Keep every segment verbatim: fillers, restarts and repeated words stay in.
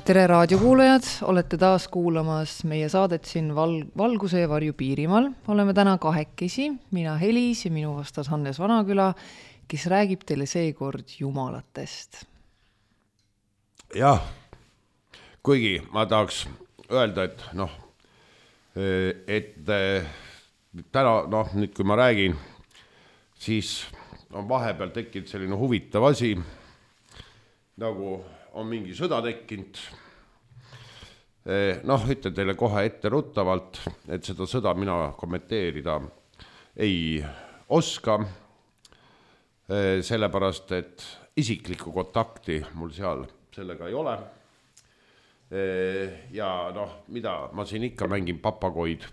Tere raadiokuulajad, olete taas kuulamas meie saadet siin val- Valguse ja Varju Piirimaal. Oleme täna kahekesi, mina Helis ja minu vastas Hannes Vanaküla, kes räägib teile seekord jumalatest. Jah, kuigi ma tahaks öelda, et noh, et täna, noh, nüüd kui ma räägin, siis on vahepeal tekkinud selline huvitav asi, nagu on mingi sõda tekkinud. Noh, ütlen teile kohe ette ruttavalt, et seda sõda mina kommenteerida ei oska, sellepärast, et isiklikku kontakti mul seal sellega ei ole. Ja noh, mida ma siin ikka mängin papagoid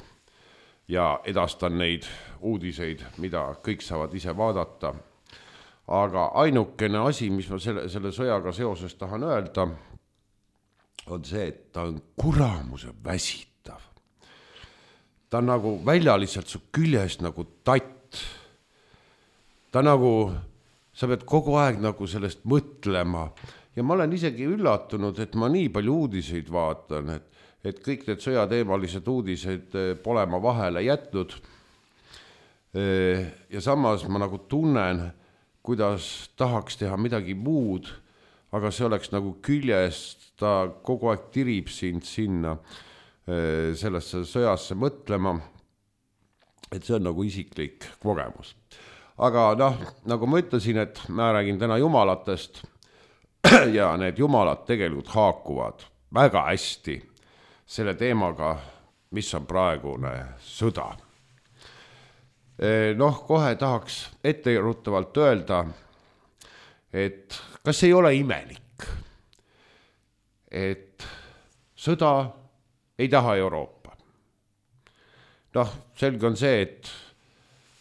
ja edastan neid uudiseid, mida kõik saavad ise vaadata. Aga ainukene asi, mis ma selle, selle sõjaga seoses tahan öelda, on see, et ta on kuramuse väsitav. Ta on nagu välja lihtsalt su küljest nagu tatt. Ta nagu, sa pead kogu aeg nagu sellest mõtlema. Ja ma olen isegi üllatunud, et ma nii palju uudiseid vaatan, et, et kõik need sõjateemalised uudised pole ma vahele jätnud. Ja samas ma nagu tunnen, kuidas tahaks teha midagi muud, aga see oleks nagu küljest, ta kogu aeg tirib sind sinna sellesse sõjasse mõtlema, et see on nagu isiklik kogemus. Aga noh, nagu ma ütlesin, et ma räägin täna jumalatest ja need jumalad tegelikult haakuvad väga hästi selle teemaga, mis on praegune sõda. Noh, kohe tahaks etteruttavalt öelda, et kas ei ole imelik, et sõda ei taha Euroopa. Noh, selge on see, et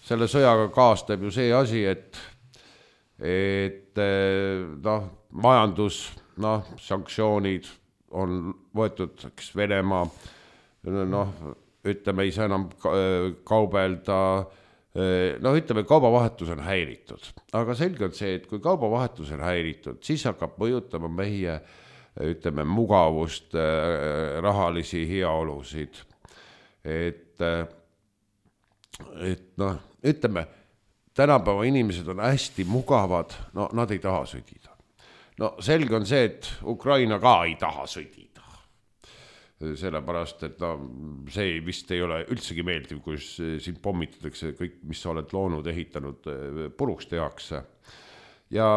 selle sõjaga kaastab ju see asi, et, et noh, majandus, noh, sanktsioonid on võetud Venemaa, noh, ütleme, ei saa enam kaubelda, no ütleme, kaubavahetus on häiritud, aga selge on see, et kui kaubavahetus on häiritud, siis hakkab mõjutama meie, ütleme, mugavust, rahalisi heaolusid, et, et noh, ütleme, tänapäeva inimesed on hästi mugavad, no nad ei taha sõdida. No selge on see, et Ukraina ka ei taha sõdida. Sellepärast, et no, see vist ei ole üldsegi meeldiv, kui sind pommitatakse kõik, mis sa oled loonud, ehitanud, puruks tehakse. Ja,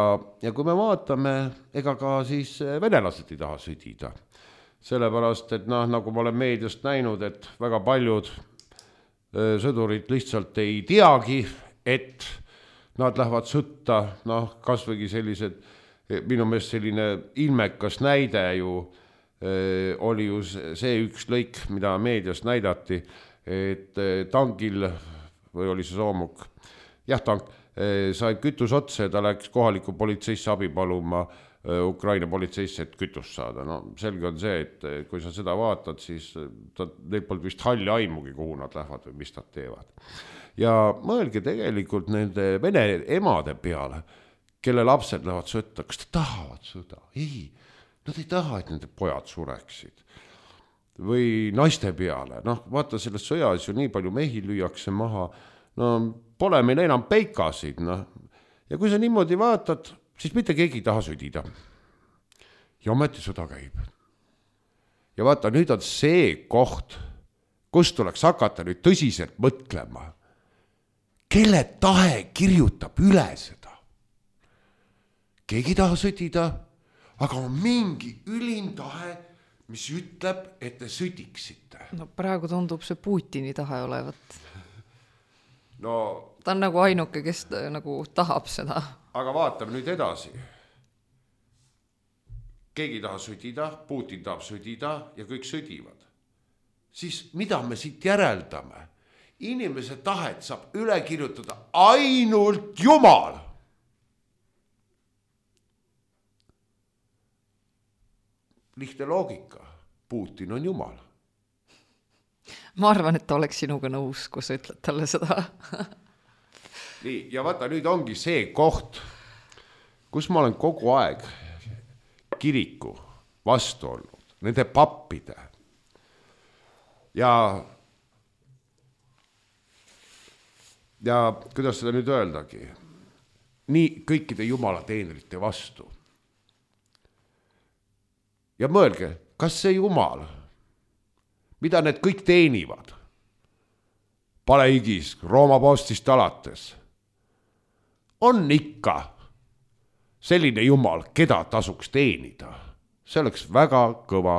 ja kui me vaatame, ega ka siis venelased ei taha sõdida. Sellepärast, et noh, nagu ma olen meediast näinud, et väga paljud sõdurid lihtsalt ei teagi, et nad lähevad sõtta, noh, kasvõigi sellised, minu meelest selline ilmekas näide ju, oli ju see üks lõik, mida meedias näidati, et tankil, või oli see soomuk, jah, tank, sai kütus otsa ja ta läks kohaliku politseisse abi paluma Ukraina politseisse, et kütust saada. No selge on see, et kui sa seda vaatad, siis ta, neil polnud vist halli aimugi, kuhu nad lähevad või mis nad teevad. Ja mõelge tegelikult nende vene emade peale, kelle lapsed lähevad sõtta, kas ta tahavad sõda? Ei. Nad ei taha, et nende pojad sureksid. Või naiste peale. Noh, vaata, selles sõjas ju nii palju mehi lüüakse maha. No, pole meil enam peikasid. No. Ja kui sa niimoodi vaatad, siis mitte keegi ei taha sõdida. Ja ometi sõda käib. Ja vaata, nüüd on see koht, kus tuleks hakata nüüd tõsiselt mõtlema. Kelle tahe kirjutab üle seda? Keegi ei taha sõdida, aga on mingi ülim tahe, mis ütleb, et te sõdiksite. No praegu tundub see Putini tahe olevat. No, ta on nagu ainuke, kes nagu tahab seda. Aga vaatame nüüd edasi. Keegi taha sõdida, Putin tahab sõdida ja kõik sõdivad. Siis mida me siit järeldame? Inimese tahet saab üle kirjutada ainult Jumal. Lihtne loogika. Putin on Jumal. Ma arvan, et ta oleks sinuga nõus, kui sa ütled talle seda. Nii, ja vaata, nüüd ongi see koht, kus ma olen kogu aeg kiriku vastu olnud. nende pappide ja ja kuidas seda nüüd öeldagi, nii kõikide jumala teenrite vastu. Ja mõelge, kas see jumal, mida need kõik teenivad, Paleigis, Rooma postist alates, on ikka selline jumal, keda tasuks teenida. See oleks väga kõva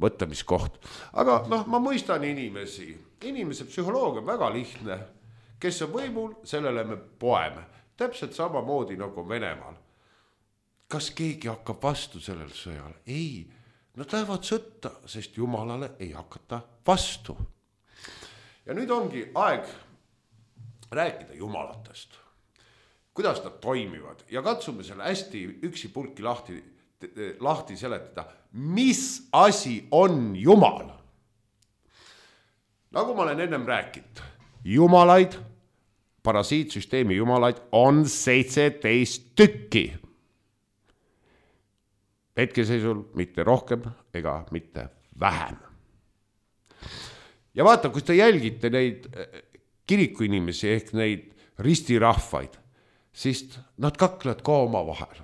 mõtlemiskoht. Aga noh, ma mõistan inimesi. Inimese psühholoogia on väga lihtne. Kes on võimul, sellele me poeme. Täpselt samamoodi nagu Venemaal. Kas keegi hakkab vastu sellel sõjal? Ei, nad lähevad sõtta, sest jumalale ei hakata vastu. Ja nüüd ongi aeg rääkida jumalatest. Kuidas nad toimivad ja katsume selle hästi üksi pulki lahti, lahti seletada. Mis asi on jumal? Nagu ma olen ennem rääkinud, jumalaid, parasiitsüsteemi jumalaid on seitseteist tükki. Hetkeseisul mitte rohkem ega mitte vähem. Ja vaata, kus te jälgite neid kirikuinimesi ehk neid ristirahvaid, siis nad kaklevad ka oma vahel.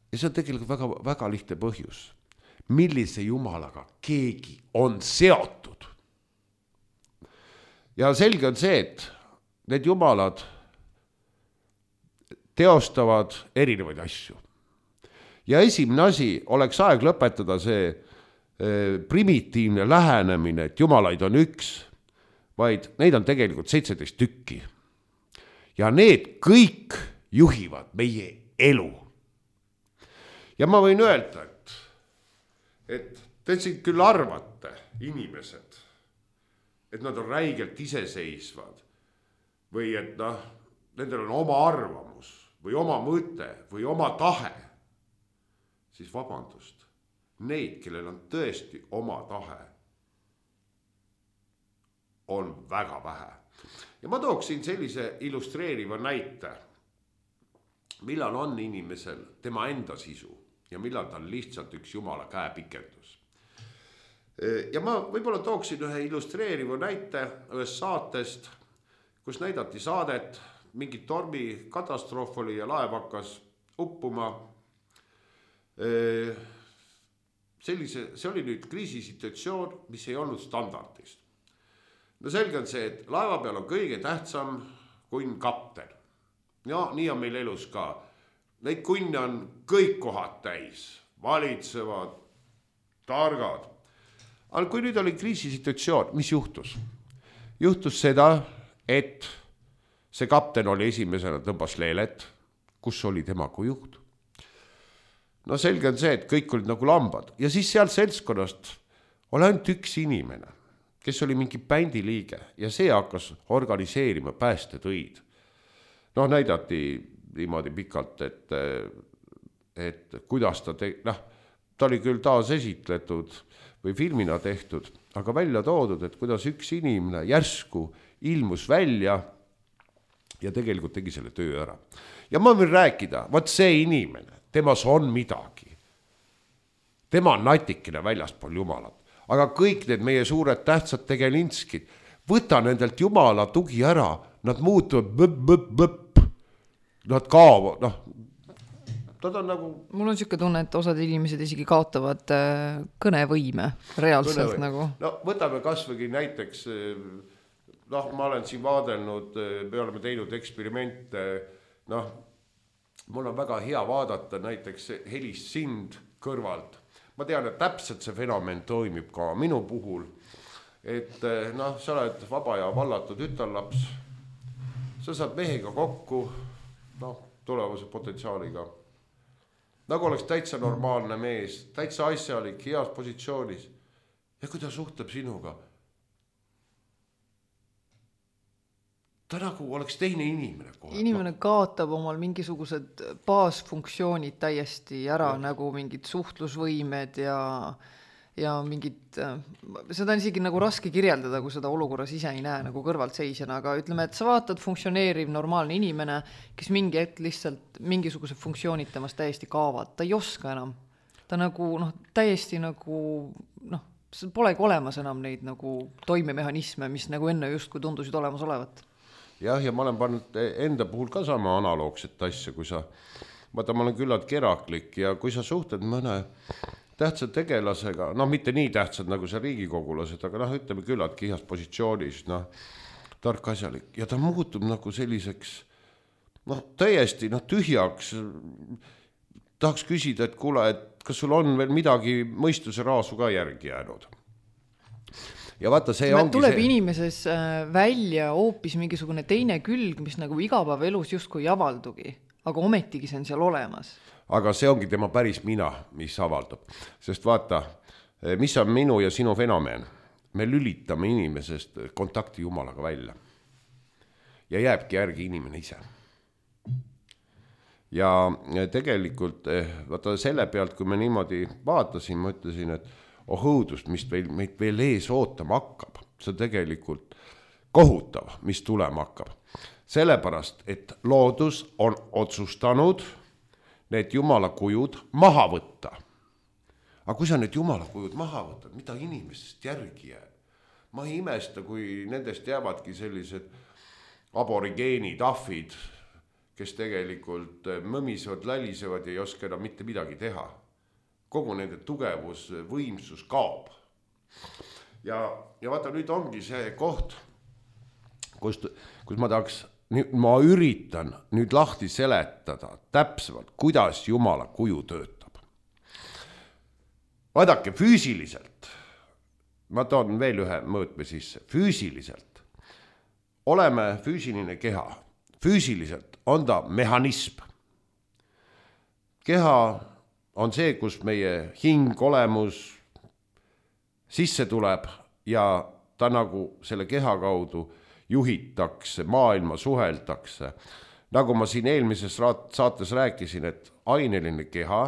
Ja see on tegelikult väga, väga lihtne põhjus. Millise jumalaga keegi on seotud. Ja selge on see, et need jumalad teostavad erinevaid asju. Ja esimene asi oleks aeg lõpetada see primitiivne lähenemine, et jumalaid on üks, vaid neid on tegelikult seitseteist tükki. Ja need kõik juhivad meie elu. Ja ma võin öelda, et, et te siin küll arvate inimesed, et nad on räigelt iseseisvad või et noh, nendel on oma arvamus või oma mõte või oma tahe, siis vabandust. Neid, kellel on tõesti oma tahe, on väga vähe. Ja ma tooksin sellise illustreeriva näite, millal on inimesel tema enda sisu ja millal ta on lihtsalt üks jumala käepikendus. Ja ma võib-olla tooksin ühe illustreeriva näite ühest saatest, kus näidati saadet, mingi tormi katastroof oli ja laev hakkas uppuma. Sellise, see oli nüüd kriisisituatsioon, mis ei olnud standardist. No selge on see, et laeva peal on kõige tähtsam kunn kapten. Ja nii on meil elus ka. Neid kunne on kõik kohad täis, valitsevad, targad. Aga kui nüüd oli kriisisituatsioon, mis juhtus? Juhtus seda, et see kapten oli esimesena tõmbas leelet, kus oli tema kui juht. No selge on see, et kõik olid nagu lambad. Ja siis seal seltskonnast oli ainult üks inimene, kes oli mingi bändi liige ja see hakkas organiseerima päästetöid. No näidati niimoodi pikalt, et, et kuidas ta te... noh, ta oli küll taas esitletud või filmina tehtud, aga välja toodud, et kuidas üks inimene järsku ilmus välja ja tegelikult tegi selle töö ära. Ja ma võin rääkida, vaat see inimene, temas on midagi. Tema on natikene väljaspool jumalat. Aga kõik need meie suured tähtsad tegelinskid, võta nendelt jumala tugi ära, nad muutuvad bëpp, bëpp, bëpp. Nad kaovad, noh, nad on nagu... Mul on siuke tunne, et osad inimesed isegi kaotavad kõnevõime reaalselt kõnevõime. Nagu. No võtame kasvõgi näiteks, noh, ma olen siin vaadelnud, me oleme teinud eksperimente, noh, mul on väga hea vaadata näiteks helist sind kõrvalt. Ma tean, et täpselt see fenomen toimib ka minu puhul, et noh, sa oled vaba ja vallatud ütarlaps, sa saad mehega kokku, noh, tulevase potentsiaaliga. Nagu oleks täitsa normaalne mees, täitsa asjalik, heas positsioonis. Ja kui ta suhtleb sinuga, ta nagu oleks teine inimene kohe. Inimene kaotab omal mingisugused baasfunktsioonid täiesti ära, ja. Nagu mingid suhtlusvõimed ja, ja mingid, seda on isegi nagu raske kirjeldada, kui seda olukorras ise ei näe nagu kõrvalt seisjana, aga ütleme, et sa vaatad funktsioneeriv normaalne inimene, kes mingi hetk lihtsalt mingisugused funktsioonid temast täiesti kaavad, ta ei oska enam. ta nagu noh, täiesti nagu noh, polegi olemas enam neid nagu toimemehhanisme, mis nagu enne just kui tundusid olemas olevat. Jah, ja ma olen pannud enda puhul ka sama analoogset asja, kui sa, vaata, ma olen küllalt keraklik ja kui sa suhtled mõne tähtsad tegelasega, noh, mitte nii tähtsad nagu see riigikogulased, aga noh, ütleme küllalt kihas positsioonis, noh, tark asjalik ja ta muutub nagu selliseks, noh, täiesti noh, tühjaks, tahaks küsida, et kuule, et kas sul on veel midagi mõistuse raasu ka järgi jäänud? Ja vaata, see ongi tuleb see... inimeses välja hoopis mingisugune teine külg, mis nagu igapäeva elus justkui ei avaldugi, aga ometigi see on seal olemas. Aga see ongi tema päris mina, mis avaldub. Sest vaata, mis on minu ja sinu fenomen? Me lülitame inimesest kontakti Jumalaga välja. Ja jääbki järgi inimene ise. Ja tegelikult, vaata selle pealt, kui me niimoodi vaatasin, ma ütlesin, et oh õudust, mis meil, meid veel ees ootama hakkab. See tegelikult kohutav, mis tulema hakkab. Sellepärast, et loodus on otsustanud need jumala kujud maha võtta. Aga kui sa need jumala kujud maha võtad, mida inimesest järgi jääb? Ma ei imesta, kui nendest jäävadki sellised aborigeenid, ahvid, kes tegelikult mõmisevad, lälisevad ja ei oska enam mitte midagi teha. Kogu nende tugevus, võimsus kaob. Ja, ja vaata, nüüd ongi see koht, kus, kus ma tahaks, ma üritan nüüd lahti seletada täpsemalt, kuidas jumala kuju töötab. Vaadake, füüsiliselt, ma toon veel ühe mõõtme sisse, füüsiliselt oleme füüsiline keha. Füüsiliselt on ta mehhanism. Keha on see, kus meie hing, olemus sisse tuleb ja ta nagu selle keha kaudu juhitakse, maailma suheldakse. Nagu ma siin eelmises saates rääkisin, et aineline keha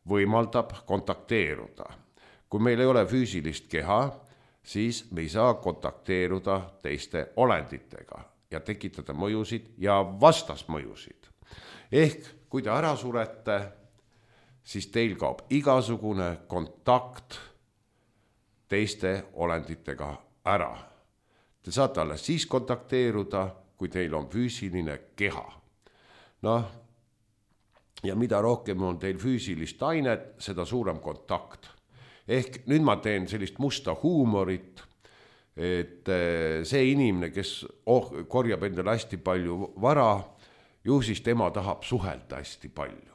võimaldab kontakteeruda. Kui meil ei ole füüsilist keha, siis me ei saa kontakteeruda teiste olenditega ja tekitada mõjusid ja vastasmõjusid. Ehk kui te ära surete, siis teil kaob igasugune kontakt teiste olenditega ära. Te saate alles siis kontakteeruda, kui teil on füüsiline keha. Noh, ja mida rohkem on teil füüsilist ainet, seda suurem kontakt. Ehk nüüd ma teen sellist musta huumorit, et see inimene, kes oh, korjab endale hästi palju vara, ju siis tema tahab suhelda hästi palju.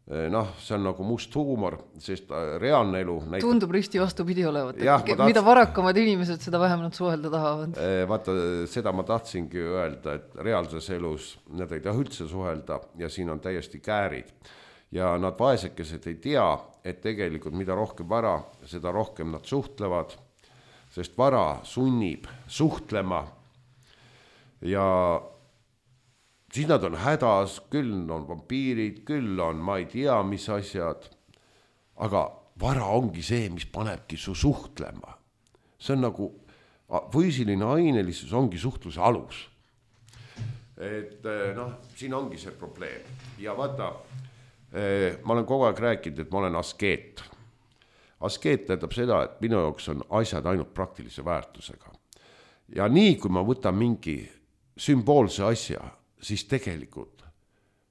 Noh, see on nagu must huumor, sest reaalne elu näitab... Tundub risti vastupidi olevat, et ja, tahtsin... mida varakamad inimesed, seda vähem nad suhelda tahavad. Vaata, seda ma tahtsingi öelda, et reaalses elus nad ei taha üldse suhelda ja siin on täiesti käärid. Ja nad vaesekesed ei tea, et tegelikult mida rohkem vara, seda rohkem nad suhtlevad, sest vara sunnib suhtlema ja siis nad on hädas, küll on vampiirid, küll on ma ei tea, mis asjad, aga vara ongi see, mis panebki su suhtlema. See on nagu füüsiline ainelisus ongi suhtluse alus. Et noh, siin ongi see probleem. Ja vaata, ma olen kogu aeg rääkinud, et ma olen askeet. Askeet tähendab seda, et minu jaoks on asjad ainult praktilise väärtusega. Ja nii, kui ma võtan mingi sümboolse asja, siis tegelikult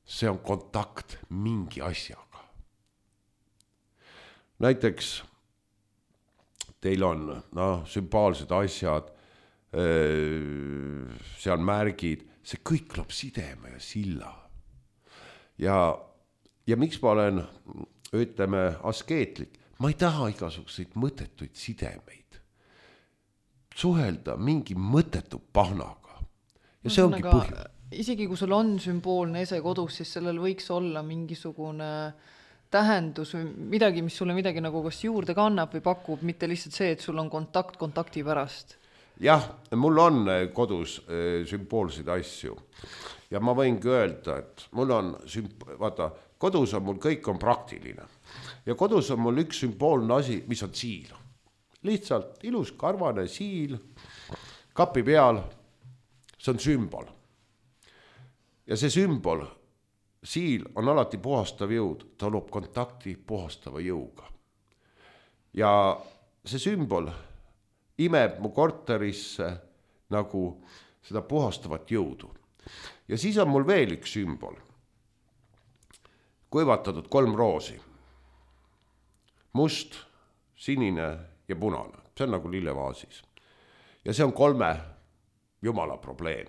see on kontakt mingi asjaga. Näiteks teil on no, sümboolsed asjad, seal märgid, see kõik loob sideme ja silla. Ja, ja miks ma olen, ütleme, askeetlik? Ma ei taha igasuguseid mõttetuid sidemeid. Suhelda mingi mõttetu pahnaga. Ja see ongi aga, põhjus. Isegi kui sul on sümboolne ese kodus, siis sellel võiks olla mingisugune tähendus või midagi, mis sulle midagi nagu kas juurde kannab või pakub, mitte lihtsalt see, et sul on kontakt kontakti pärast. Jah, mul on kodus sümboolseid asju. Ja ma võingi öelda, et mul on, sümp- vaata, kodus on mul kõik on praktiline. Ja kodus on mul üks sümboolne asi, mis on siil. Lihtsalt ilus karvane siil, kapi peal, see on sümbol. Ja see sümbol siil on alati puhastav jõud, ta loob kontakti puhastava jõuga. Ja see sümbol imeb mu korterisse nagu seda puhastavat jõudu. Ja siis on mul veel üks sümbol. Kuivatatud kolm roosi. Must, sinine ja punane. See on nagu lillevaasis. Ja see on kolme jumala probleem.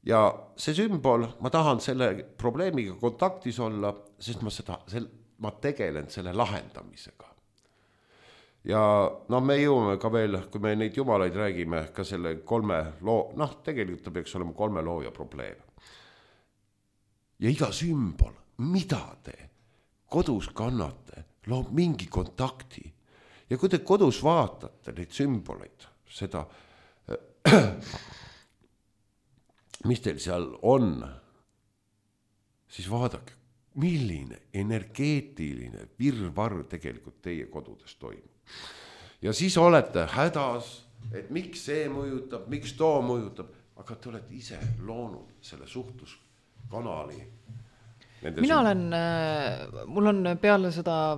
Ja see sümbol, ma tahan selle probleemiga kontaktis olla, sest ma, seda, sel, ma tegelen selle lahendamisega. Ja no me jõuame ka veel, kui me neid jumalaid räägime, ka selle kolme loo, noh, tegelikult ta peaks olema kolme looja probleem. Ja iga sümbol, mida te kodus kannate, loob mingi kontakti. Ja kui te kodus vaatate neid sümboleid, seda mis teil seal on, siis vaadake, milline energeetiline virvarr tegelikult teie kodudes toimub. Ja siis olete hädas, et miks see mõjutab, miks too mõjutab, aga te olete ise loonud selle suhtluskanali. Mina olen, mul on peale seda,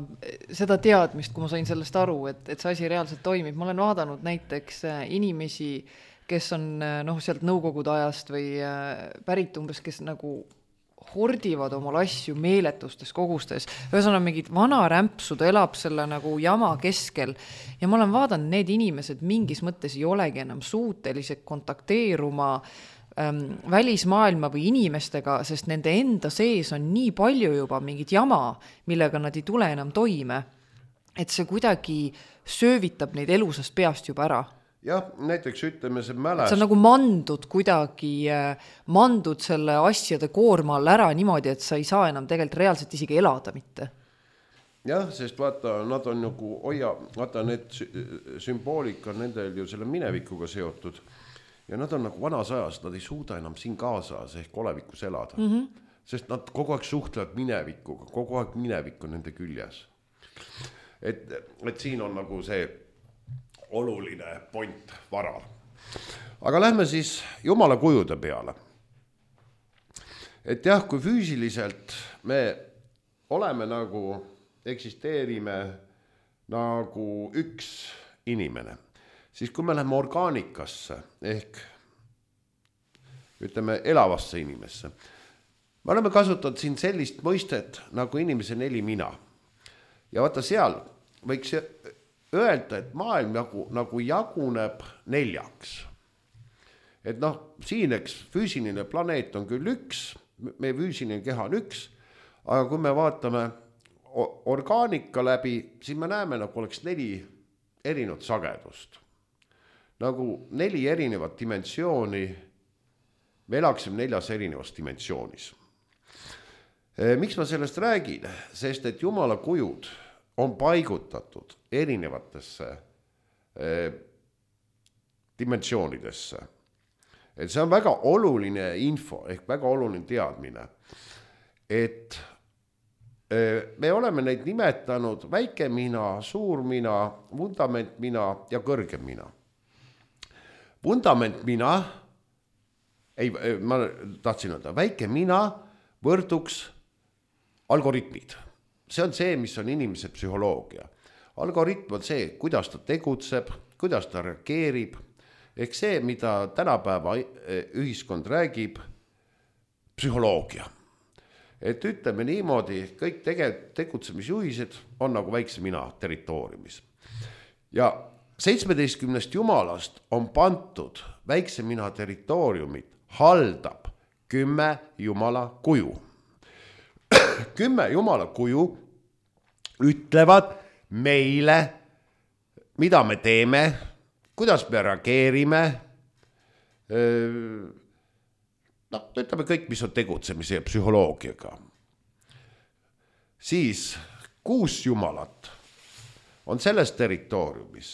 seda teadmist, kui ma sain sellest aru, et, et see asi reaalselt toimib. Ma olen vaadanud näiteks inimesi, kes on noh, sealt nõukogude ajast või pärit umbes, kes nagu hordivad omal asju meeletustes kogustes. Ühesõnaga mingid vana rämpsud elab selle nagu jama keskel. Ja ma olen vaadanud, need inimesed mingis mõttes ei olegi enam suutelised kontakteeruma ähm, välismaailma või inimestega, sest nende enda sees on nii palju juba mingid jama, millega nad ei tule enam toime. Et see kuidagi söövitab neid elusast peast juba ära. Jah, näiteks ütleme see mäles. See on nagu mandud kuidagi, mandud selle asjade koorma all ära niimoodi, et sa ei saa enam tegelikult reaalselt isegi elada mitte. Jah, sest vaata, nad on nagu, oia, vaata, need sümboolika on nendel ju selle minevikuga seotud. Ja nad on nagu vanas ajas, nad ei suuda enam siin kaasas ehk olevikus elada. Mm-hmm. Sest nad kogu aeg suhtlevad minevikuga, kogu aeg minevik on nende küljes. Et, et siin on nagu see oluline point varal. Aga lähme siis jumala kujude peale. Et jah, kui füüsiliselt me oleme nagu, eksisteerime nagu üks inimene, siis kui me läheme orgaanikasse ehk ütleme elavasse inimesse, me oleme kasutanud siin sellist mõistet nagu inimese neli mina. Ja vaata seal võiks öelda, et maailm nagu, nagu jaguneb neljaks. Et noh, siin eks füüsiline planeet on küll üks, meie füüsiline keha on üks, aga kui me vaatame orgaanika läbi, siis me näeme, nagu oleks neli erinevat sagedust. Nagu neli erinevat dimensiooni, me elaksime neljas erinevas dimensioonis. Miks ma sellest räägin? Sest et jumala kujud on paigutatud erinevatesse eh, dimensioonidesse. Et see on väga oluline info, ehk väga oluline teadmine, et eh, me oleme neid nimetanud väike mina, suur mina, vundament mina ja kõrge mina. Vundament mina, ei, ma tahtsin öelda, väike mina võrduks algoritmid. See on see, mis on inimese psühholoogia. Algoritm on see, kuidas ta tegutseb, kuidas ta reageerib. Ehk see, mida tänapäeva ühiskond räägib, psühholoogia. Et ütleme niimoodi, kõik tege, tegutsemisjuhised on nagu väikse mina territooriumis. Ja seitsmeteistkümnest jumalast on pantud väikse mina territooriumit, haldab kümme jumala kuju. Kümme jumala kuju ütlevad meile, mida me teeme, kuidas me reageerime. No, ütleme kõik, mis on tegutsemise ja psühholoogiaga. Siis kuus jumalat on selles territooriumis,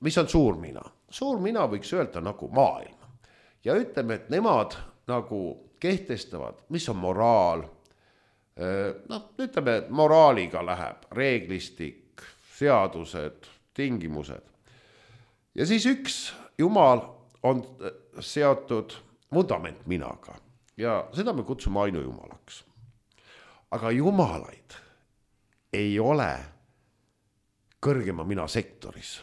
mis on suur mina. Suur mina võiks öelda nagu maailm. Ja ütleme, et nemad nagu kehtestavad, mis on moraal. No, ütleme, et moraaliga läheb reeglistik, seadused, tingimused. Ja siis üks jumal on seotud vundament minaga. ja seda me kutsume ainujumalaks. Aga jumalaid ei ole kõrgema mina sektoris.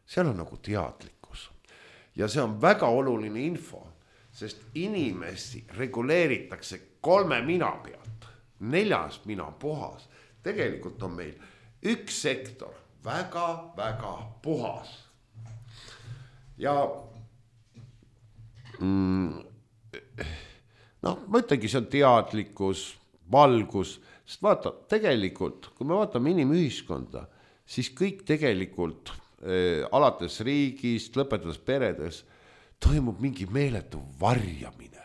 Seal on nagu teadlikkus. Ja see on väga oluline info, sest inimesi reguleeritakse kolme mina pealt. Neljas mina puhas. Tegelikult on meil üks sektor väga, väga puhas. Ja mm, noh, ma ütlengi, see on teadlikkus, valgus, sest vaata, tegelikult, kui me vaatame inimühiskonda, siis kõik tegelikult äh, alates riigist, lõpetades peredes, toimub mingi meeletu varjamine.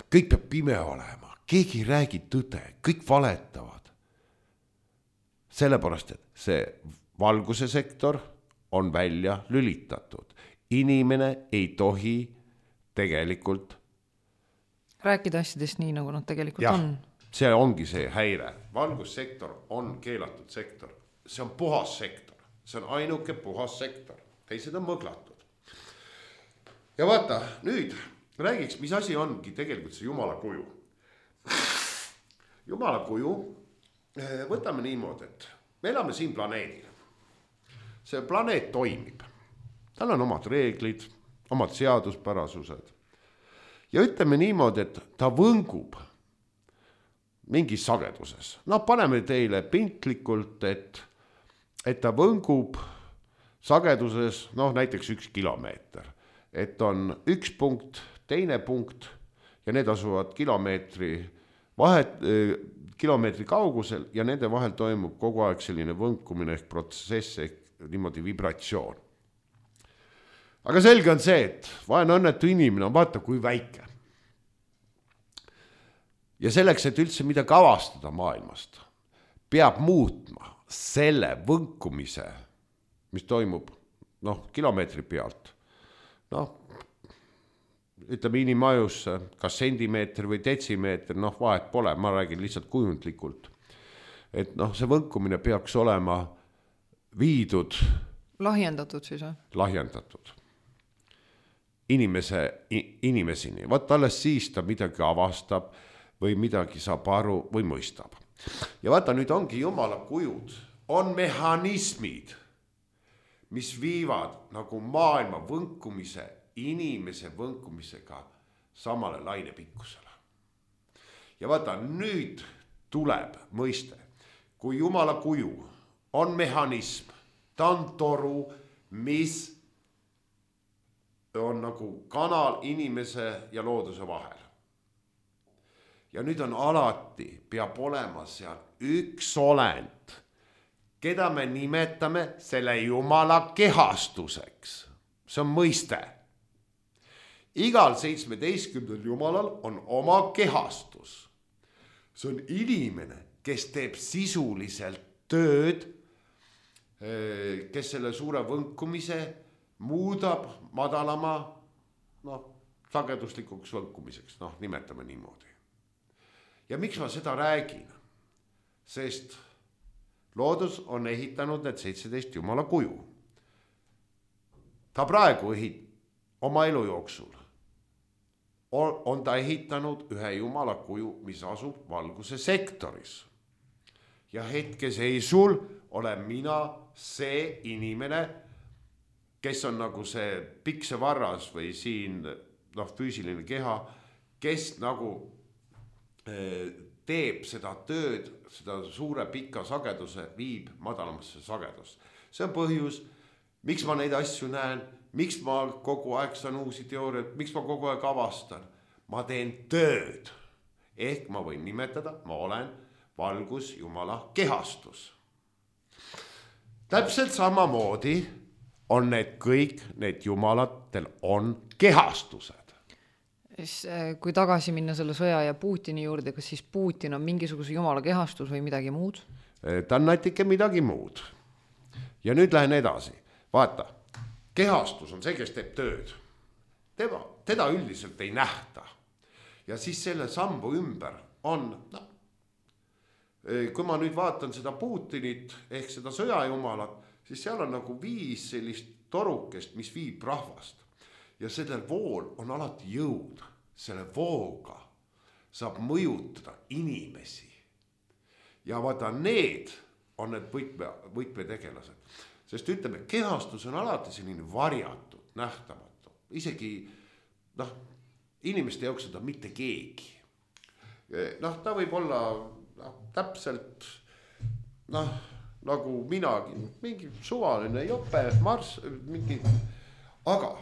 Kõik peab pime olema, keegi ei räägi tõde, kõik valetavad. Sellepärast, et see valguse sektor on välja lülitatud. Inimene ei tohi tegelikult rääkida asjadest nii, nagu nad tegelikult ja, on. See ongi see häire. Valgussektor on keelatud sektor. See on puhas sektor. See on ainuke puhas sektor. Teised on mõglatud. Ja vaata, nüüd räägiks, mis asi ongi tegelikult see Jumala kuju. Jumala kuju, võtame niimoodi, et me elame siin planeedil. See planeet toimib. Tal on omad reeglid, omad seaduspärasused. Ja ütleme niimoodi, et ta võngub mingis sageduses. No paneme teile pintlikult, et, et ta võngub sageduses, noh näiteks üks kilomeeter. Et on üks punkt, teine punkt ja need asuvad kilomeetri, vahet, kilomeetri kaugusel ja nende vahel toimub kogu aeg selline võnkumine ehk protsess ehk niimoodi vibratsioon. Aga selge on see, et vaene õnnetu inimene on vaata kui väike. Ja selleks, et üldse midagi avastada maailmast, peab muutma selle võnkumise, mis toimub noh, kilomeetri pealt. Noh, ütleme inimajusse, kas sentimeeter või detsimeeter, noh vahet pole, ma räägin lihtsalt kujundlikult. Et noh, see võnkumine peaks olema viidud. Lahjendatud siis või? Lahjendatud. Inimese, inimesini. Vaat alles siis ta midagi avastab või midagi saab aru või mõistab. Ja vaata, nüüd ongi Jumala kujud. On mehhanismid, mis viivad nagu maailma võnkumise, inimese võnkumisega samale lainepikkusele. Ja vaata, nüüd tuleb mõiste, kui Jumala kuju on mehhanism, ta on toru, mis on nagu kanal inimese ja looduse vahel. Ja nüüd on alati, peab olema seal üks olend, keda me nimetame selle Jumala kehastuseks. See on mõiste. Igal seitsmeteistkümnel Jumalal on oma kehastus. See on inimene, kes teeb sisuliselt tööd, kes selle suure võnkumise muudab madalama noh, sageduslikuks võnkumiseks, noh, nimetame niimoodi. Ja miks ma seda räägin? Sest loodus on ehitanud need seitseteist Jumala kuju. Ta praegu ehit, oma elu jooksul on, on ta ehitanud ühe Jumala kuju, mis asub valguse sektoris. Ja hetkeseisul olen mina see inimene, kes on nagu see piksevarras või siin noh, füüsiline keha, kes nagu eh, teeb seda tööd, seda suure pika sageduse viib madalamasse sagedust. See on põhjus, miks ma neid asju näen, miks ma kogu aeg saan uusi teooriaid, miks ma kogu aeg avastan. Ma teen tööd, ehk ma võin nimetada, ma olen valgus Jumala kehastus. Täpselt samamoodi on need kõik, need Jumalatel on kehastused. Kui tagasi minna selle sõja ja Putini juurde, kas siis Putin on mingisuguse Jumala kehastus või midagi muud? Ta on natuke midagi muud. Ja nüüd lähen edasi. Vaata, kehastus on see, kes teeb tööd. Tema, teda üldiselt ei nähta. Ja siis selle sambu ümber on, no, kui ma nüüd vaatan seda Putinit ehk seda sõjajumalat, siis seal on nagu viis sellist torukest, mis viib rahvast. Ja sellel vool on alati jõud. selle vooga saab mõjutada inimesi. Ja vaata, need on need võtme, võtmetegelased. Sest ütleme, kehastus on alati selline varjatud, nähtamatu. Isegi, noh, inimeste jaoks seda mitte keegi. Noh, ta võib olla noh, täpselt, noh, nagu minagi, mingi suvaline jope, marss, mingi, aga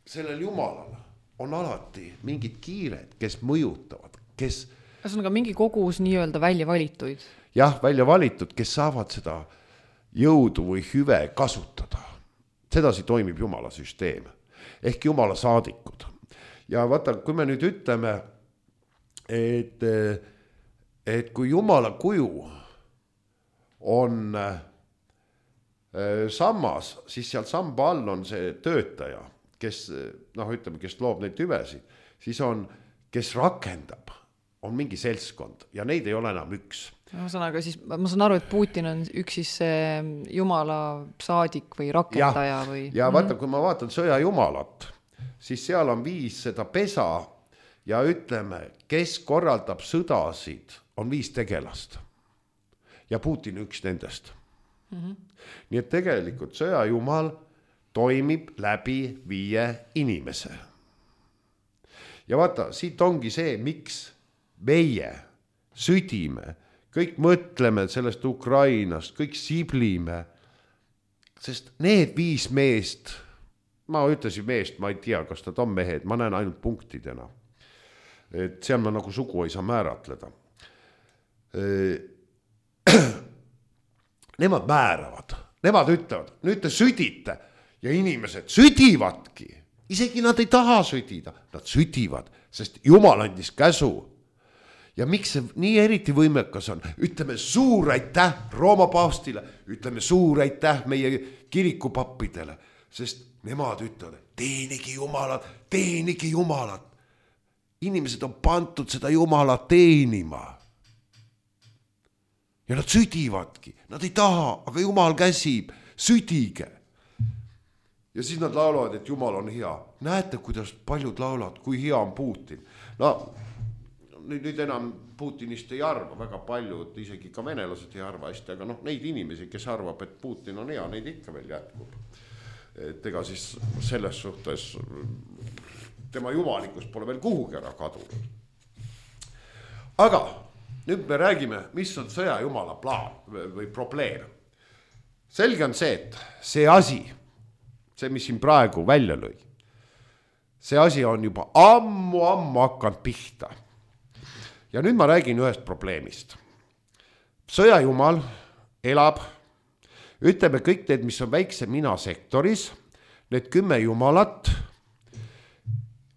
sellel jumalal on alati mingid kiired, kes mõjutavad, kes... Kas on ka mingi kogus nii-öelda välja valituid? Jah, välja valitud, kes saavad seda jõudu või hüve kasutada. Sedasi toimib Jumala süsteem. Ehk Jumala saadikud. Ja vaata, kui me nüüd ütleme, et, et kui Jumala kuju on sammas, siis seal samba all on see töötaja, kes, noh, ütleme, kes loob neid hüvesid, siis on, kes rakendab, on mingi seltskond ja neid ei ole enam üks. Ma saan, aga siis, ma saan aru, et Putin on üks siis Jumala saadik või rakendaja ja, või... Ja vaata, kui ma vaatan sõja Jumalat, siis seal on viis seda pesa ja ütleme, kes korraldab sõdasid, on viis tegelast. Ja Putin üks nendest. Mm-hmm. Nii et tegelikult sõja Jumal toimib läbi viie inimese. Ja vaata, siit ongi see, miks meie südime, kõik mõtleme sellest Ukrainast, kõik siblime, sest need viis meest, ma ütlesin meest, ma ei tea, kas nad on mehed, ma näen ainult punktidena. Et seal ma nagu sugu ei saa määratleda. Nemad määravad, nemad ütlevad, nüüd te südite ja inimesed südivadki. Isegi nad ei taha südida, nad südivad, sest Jumal andis käsu. Ja miks see nii eriti võimekas on? Ütleme suur aitäh Rooma paavstile, ütleme suur aitäh meie kirikupappidele, sest nemad ütlevad, teenigi Jumalat, teenigi Jumalat. Inimesed on pantud seda Jumalat teenima. Ja nad südivadki, nad ei taha, aga Jumal käsib, südige. Ja siis nad laulavad, et Jumal on hea. Näete, kuidas paljud laulavad, kui hea on Putin. No, nüüd, nüüd enam Putinist ei arva, väga paljud, isegi ka venelased ei arva hästi, aga noh, neid inimesi, kes arvab, et Putin on hea, neid ikka veel jätkub. Et ega siis selles suhtes tema jumalikus pole veel kuhugi ära kadunud. Aga nüüd me räägime, mis on sõja Jumala plaan või probleem. Selge on see, et see asi, see, mis siin praegu välja lõi, see asi on juba ammu, ammu hakanud pihta. Ja nüüd ma räägin ühest probleemist. Sõja Jumal elab, ütleme kõik need, mis on väikse mina sektoris, need kümme Jumalat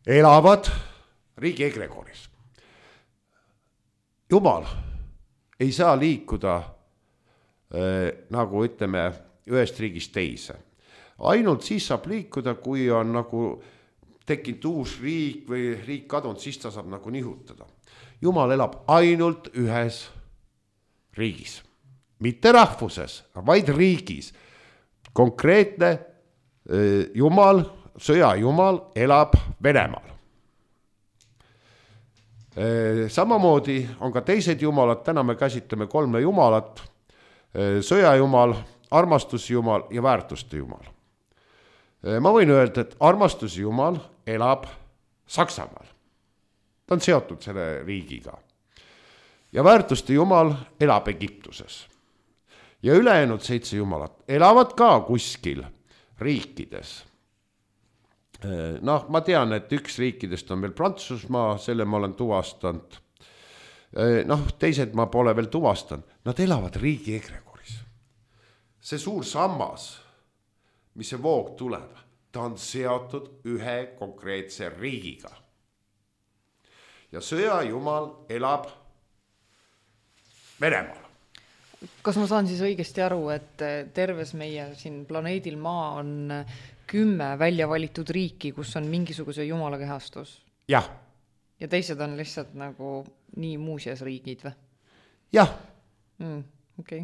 elavad riigi egregoris. Jumal ei saa liikuda äh, nagu ütleme ühest riigist teise. Ainult siis saab liikuda, kui on nagu tekkinud uus riik või riik kadunud, siis ta saab nagu nihutada. Jumal elab ainult ühes riigis. Mitte rahvuses, vaid riigis. Konkreetne äh, Jumal, sõja Jumal elab Venemaal. Äh, samamoodi on ka teised Jumalad, täna me käsitleme kolme Jumalat, äh, sõja Jumal, armastuse Jumal ja väärtuste Jumal. Äh, ma võin öelda, et armastuse Jumal elab Saksamaal. Ta on seotud selle riigiga. Ja väärtuste Jumal elab Egiptuses. Ja ülejäänud seitse Jumalat elavad ka kuskil riikides. Noh, ma tean, et üks riikidest on veel Prantsusmaa, selle ma olen tuvastanud. Noh, teised ma pole veel tuvastanud. Nad elavad riigi egregoris. See suur sammas, mis see voog tuleb, ta on seotud ühe konkreetse riigiga. Ja sõja Jumal elab Venemaal. Kas ma saan siis õigesti aru, et terves meie siin planeedil Maa on kümme välja valitud riiki, kus on mingisuguse Jumala kehastus? Jah. Ja teised on lihtsalt nagu nii muuseas riigid või? Jah. Mm, okei.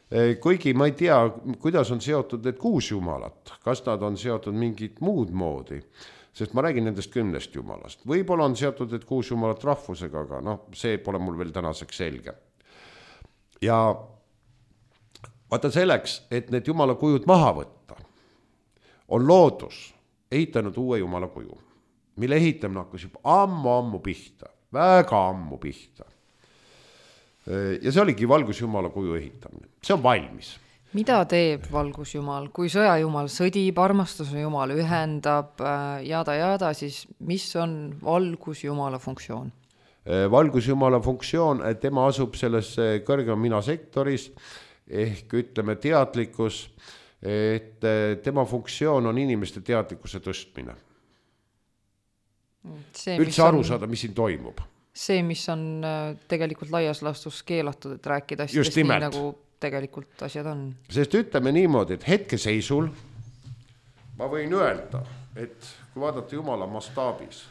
Okay. Kuigi ma ei tea, kuidas on seotud need kuus Jumalat. Kas nad on seotud mingit muud moodi? sest ma räägin nendest kümnest jumalast. Võib-olla on seotud, et kuus jumalat rahvusega, aga noh, see pole mul veel tänaseks selge. Ja vaata selleks, et need jumala kujud maha võtta, on loodus ehitanud uue jumala kuju, mille ehitamine hakkas juba ammu-ammu pihta, väga ammu pihta. Ja see oligi valgusjumala kuju ehitamine. See on valmis. Mida teeb valgusjumal? Kui sõjajumal sõdib, armastuse jumal ühendab, jada jada, siis mis on valgusjumala funktsioon? Valgusjumala funktsioon, et tema asub selles kõrgema mina sektoris, ehk ütleme teadlikkus, et tema funktsioon on inimeste teadlikkuse tõstmine. See, üldse aru saada, mis siin toimub. See, mis on tegelikult laias laastus keelatud, et rääkida asjadest nii, nagu tegelikult asjad on. Sest ütleme niimoodi, et hetkeseisul ma võin öelda, et kui vaadata Jumala mastaabis,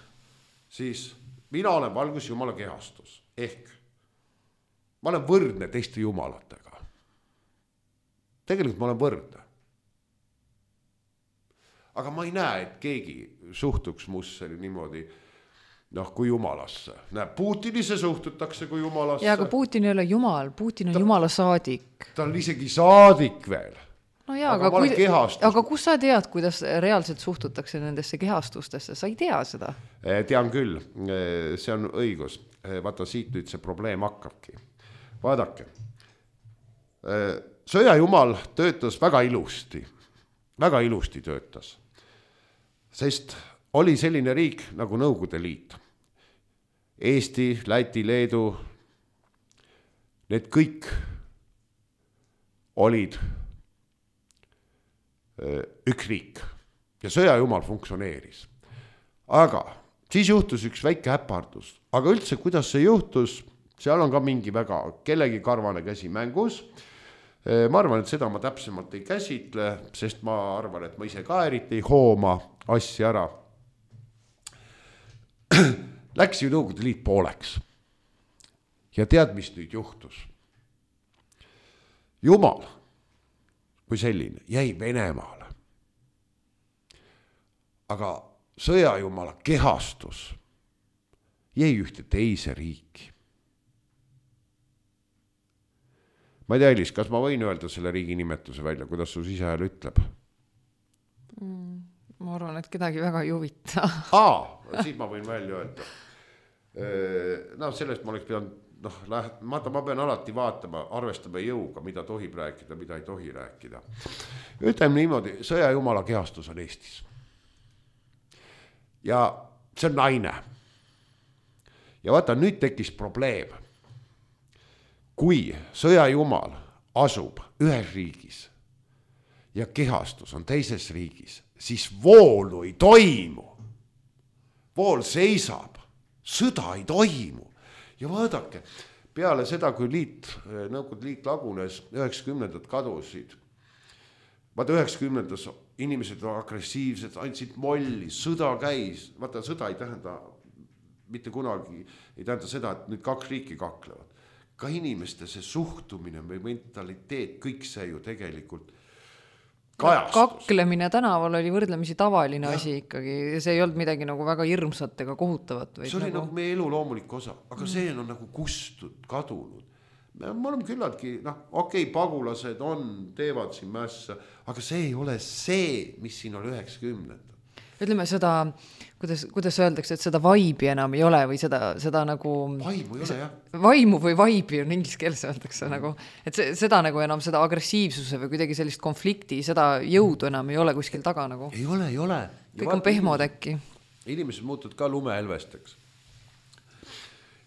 siis mina olen valgus Jumala kehastus. Ehk ma olen võrdne teiste jumalatega. Tegelikult ma olen võrdne. Aga ma ei näe, et keegi suhtuks musse niimoodi noh, kui jumalasse. Näe, Putinisse suhtutakse kui jumalasse. Ja, aga Putin ei ole jumal, Putin on ta, jumala saadik. Ta on isegi saadik veel. No jaa, aga, aga, kui, aga kus sa tead, kuidas reaalselt suhtutakse nendesse kehastustesse? Sa ei tea seda? Tean küll, see on õigus. Vaata, siit nüüd see probleem hakkabki. Vaadake, sõjajumal töötas väga ilusti. Väga ilusti töötas. Sest oli selline riik nagu Nõukogude Liit. Eesti, Läti, Leedu, need kõik olid üks riik ja sõjajumal funktsioneeris. Aga siis juhtus üks väike häpardus. Aga üldse, kuidas see juhtus, seal on ka mingi väga kellegi karvane käsi mängus. Ma arvan, et seda ma täpsemalt ei käsitle, sest ma arvan, et ma ise ka eriti ei hooma asja ära. Läks ju Nõukogude Liit pooleks. Ja tead, mis nüüd juhtus? Jumal kui selline jäi Venemaale. Aga sõjajumala kehastus jäi ühte teise riiki. Ma ei tea, Elis, kas ma võin öelda selle riigi nimetuse välja, kuidas su sisehääl ütleb? Mm, ma arvan, et kedagi väga ei huvita. Aa, siis ma võin välja öelda. No sellest ma oleks pidanud, noh, ma, ma pean alati vaatama, arvestama jõuga, mida tohib rääkida, mida ei tohi rääkida. Ütleme niimoodi, sõjajumala kehastus on Eestis. Ja see on naine. Ja vaata, nüüd tekkis probleem. Kui sõjajumal asub ühes riigis ja kehastus on teises riigis, siis voolu ei toimu. Vool seisab, sõda ei toimu. Ja vaadake, peale seda, kui liit, Nõukogude Liit lagunes, üheksakümnendad kadusid. Vaata, üheksakümnendas inimesed on agressiivsed, andsid molli, sõda käis. Vaata, sõda ei tähenda, mitte kunagi ei tähenda seda, et nüüd kaks riiki kaklevad. Ka inimeste see suhtumine või mentaliteet, kõik see ju tegelikult kajastus. Kaklemine tänaval oli võrdlemisi tavaline ja. Asi ikkagi. See ei olnud midagi nagu väga hirmsat ega kohutavat. See oli nagu, nagu meie elu loomulik osa, aga mm. see on nagu kustud, kadunud. Me oleme küllaltki, noh, okei, okay, pagulased on, teevad siin mässa, aga see ei ole see, mis siin oli üheksakümnendad. Ütleme seda, kuidas, kuidas öeldakse, et seda vaibi enam ei ole või seda, seda nagu... Vaimu ei ole, jah. Vaimu või vaibi on inglise keeles öeldakse mm. nagu, et see, seda nagu enam seda agressiivsuse või kuidagi sellist konflikti, seda jõudu enam ei ole kuskil taga nagu. Ei ole, ei ole. Ja kõik on pehmod äkki. Inimesed muutud ka lumehelvesteks.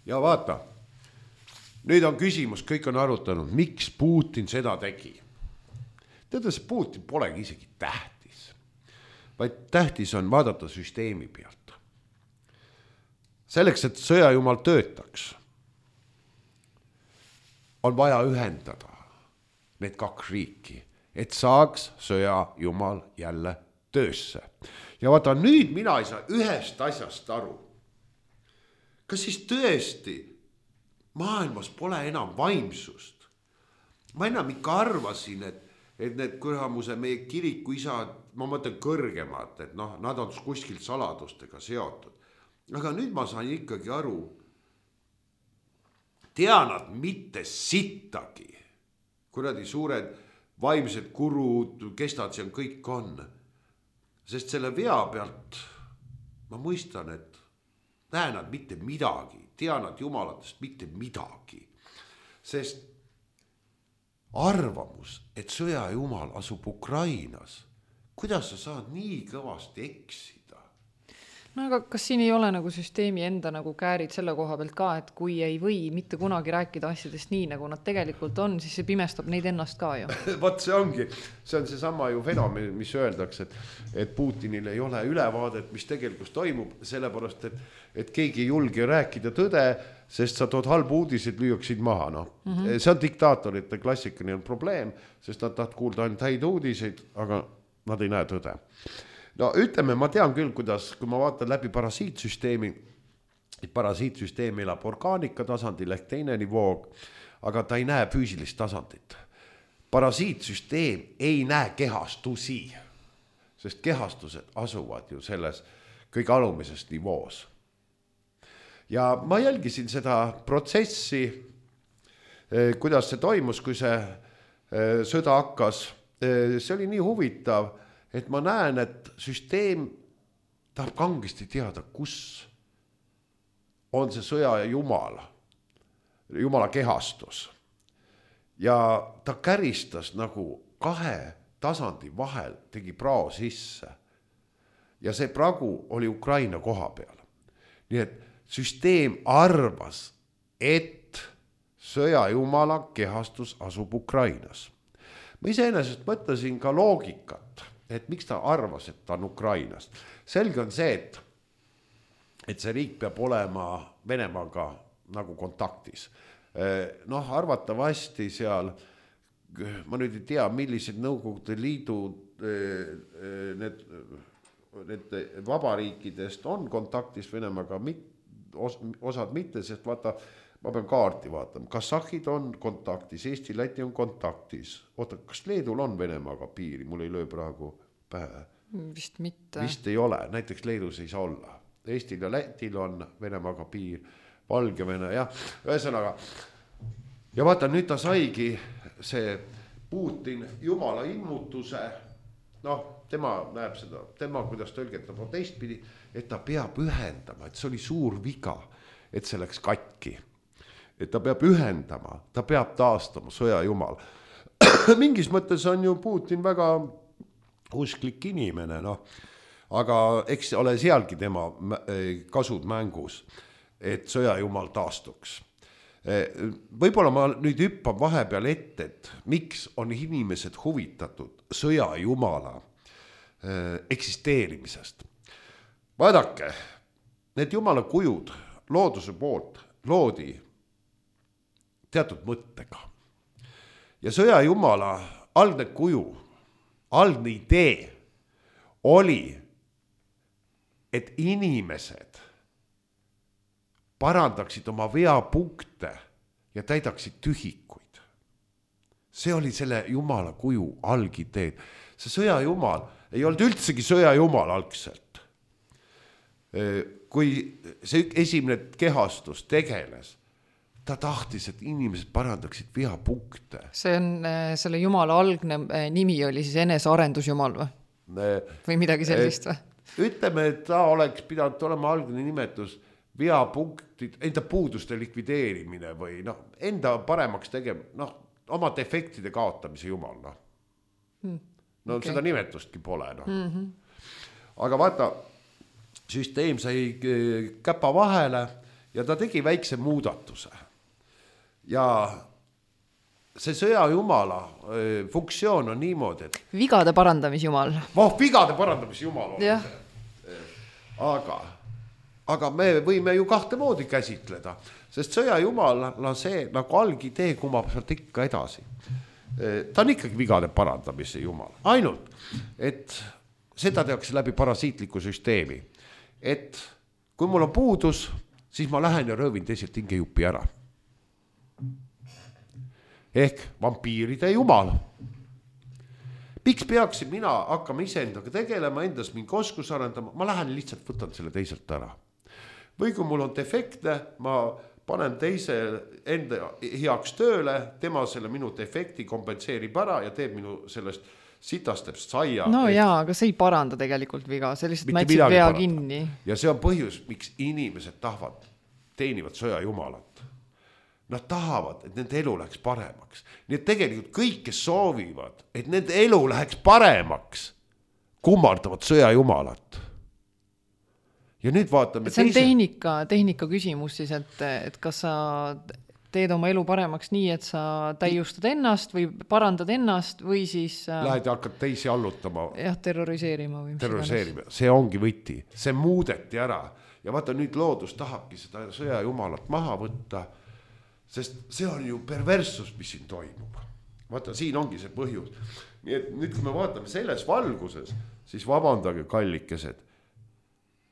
Ja vaata, nüüd on küsimus, kõik on arutanud, miks Putin seda tegi. Teada, see Putin polegi isegi täht. Vaid tähtis on vaadata süsteemi pealt. Selleks, et sõjajumal töötaks, on vaja ühendada need kaks riiki, et saaks sõjajumal jälle töösse. Ja vaata, nüüd mina ei saa ühest asjast aru. Kas siis tõesti maailmas pole enam vaimsust? Ma enam ikka arvasin, et et need kuramuse meie kirikuisad, ma mõtlen kõrgemad, et noh, nad on kuskilt saladustega seotud. Aga nüüd ma sain ikkagi aru, tea nad mitte sittagi, kuradi suured vaimsed kurud, kes nad seal kõik on. Sest selle vea pealt ma mõistan, et näe nad mitte midagi, tea nad jumalatest mitte midagi. Sest arvamus, et sõja jumal asub Ukrainas, kuidas sa saad nii kõvasti eksida? No aga kas siin ei ole nagu süsteemi enda nagu käärid selle koha pealt ka, et kui ei või mitte kunagi rääkida asjadest nii, nagu nad tegelikult on, siis see pimestab neid ennast ka ju. Vot see ongi, see on see sama ju fenomen, mis öeldakse, et, et Putinil ei ole ülevaadet, mis tegelikult toimub, sellepärast, et, et keegi ei julge rääkida tõde, sest sa tood halbu uudised, lüüaksid maha. No. Mm-hmm. See on diktaatorite klassikaline probleem, sest nad tahavad kuulda ainult häid uudiseid, aga nad ei näe tõde. No ütleme, ma tean küll, kuidas, kui ma vaatan läbi parasiitsüsteemi, et parasiitsüsteem elab orgaanika tasandil ehk teine nivoog, aga ta ei näe füüsilist tasandit. Parasiitsüsteem ei näe kehastusi, sest kehastused asuvad ju selles kõige alumises nivoos. Ja ma jälgisin seda protsessi, kuidas see toimus, kui see sõda hakkas. See oli nii huvitav, et ma näen, et süsteem tahab kangesti teada, kus on see sõja jumal, jumala kehastus. Ja ta käristas nagu kahe tasandi vahel, tegi prao sisse. Ja see pragu oli Ukraina koha peal. Nii et süsteem arvas, et sõja jumala kehastus asub Ukrainas. Ma iseenesest mõtlesin ka loogikat, et miks ta arvas, et ta on Ukrainast. Selge on see, et, et see riik peab olema Venemaaga nagu kontaktis. Noh, arvatavasti seal, ma nüüd ei tea, millised Nõukogude Liidu need, need vabariikidest on kontaktis Venemaaga, osad mitte, sest vaata, ma pean kaarti vaatama. Kasahhid on kontaktis, Eesti, Läti on kontaktis. Oota, kas Leedul on Venemaaga piiri? Mul ei löö praegu pähe. Vist mitte. Vist ei ole. Näiteks Leedus ei saa olla. Eestil ja Lätil on Venemaaga piir, Valgevene, jah. Ühesõnaga. Ja vaata, nüüd ta saigi see Putin jumala ilmutuse. Noh, tema näeb seda, tema kuidas tõlgetab on teistpidi, et ta peab ühendama, et see oli suur viga, et see läks katki. Et ta peab ühendama, ta peab taastama sõja jumal. Mingis mõttes on ju Putin väga usklik inimene, noh. Aga eks ole sealgi tema kasud mängus, et sõja jumal taastuks. Võib-olla ma nüüd hüppan vahepeal ette, et miks on inimesed huvitatud sõja jumala eksisteerimisest. Vaadake, need jumala kujud looduse poolt loodi teatud mõttega. Ja sõja jumala algne kuju, algne idee oli, et inimesed parandaksid oma veapunkte ja täidaksid tühikuid. See oli selle jumala kuju algideed. See sõja jumal ei olnud üldsegi sõja jumal algselt. Kui see esimene kehastus tegeles, ta tahtis, et inimesed parandaksid veapunkte. See on selle jumala algne nimi oli siis enesearendusjumal või? Või midagi sellist või? Ütleme, et ta oleks pidanud olema algne nimetus veapunktid, enda puuduste likvideerimine või noh, enda paremaks tegema, noh, oma defektide kaotamise jumal, noh. Hmm. No okay. Seda nimetustki pole, noh. Mm-hmm. Aga vaata, süsteem sai käpa vahele ja ta tegi väikse muudatuse. Ja see sõja jumala funktsioon on niimoodi, et vigade parandamisjumal. Voh, vigade parandamisjumal on yeah. see. Aga, aga me võime ju kahte moodi käsitleda, sest sõja jumala see nagu algidee kumab sealt ikka edasi. Ta on ikkagi vigade parandamise jumal. Ainult, et seda tehakse läbi parasiitliku süsteemi. Et kui mul on puudus, siis ma lähen ja röövin teiselt hingejupi ära. Ehk vampiiride jumal. miks peaksin mina hakkama iseendaga tegelema, endas mingi oskus arendama, ma lähen lihtsalt võtan selle teiselt ära. Või kui mul on defektne, ma panen teise enda heaks tööle, tema selle minu defekti kompenseerib ära ja teeb minu sellest sitastest saia. No et... jaa, aga see ei paranda tegelikult viga, see lihtsalt mätsib vea paranda. Kinni. Ja see on põhjus, miks inimesed tahavad, teenivad sõja jumalat. Nad tahavad, et nende elu läheks paremaks. Nii et tegelikult kõik, kes soovivad, et nende elu läheks paremaks, kummardavad sõja jumalat. Ja nüüd vaatame see on teise... tehnika, tehnika küsimus siis, et, et kas sa teed oma elu paremaks nii, et sa täiustad ennast või parandad ennast või siis... Lähed ja hakkad teisi allutama. Jah, terroriseerima. Või terroriseerima. See ongi võti. See muudeti ära. Ja vaata, nüüd loodus tahabki seda sõja jumalat maha võtta, sest see on ju perverssus, mis siin toimub. Vaata, siin ongi see põhjus. Nii et nüüd, kui me vaatame selles valguses, siis vabandage kallikesed.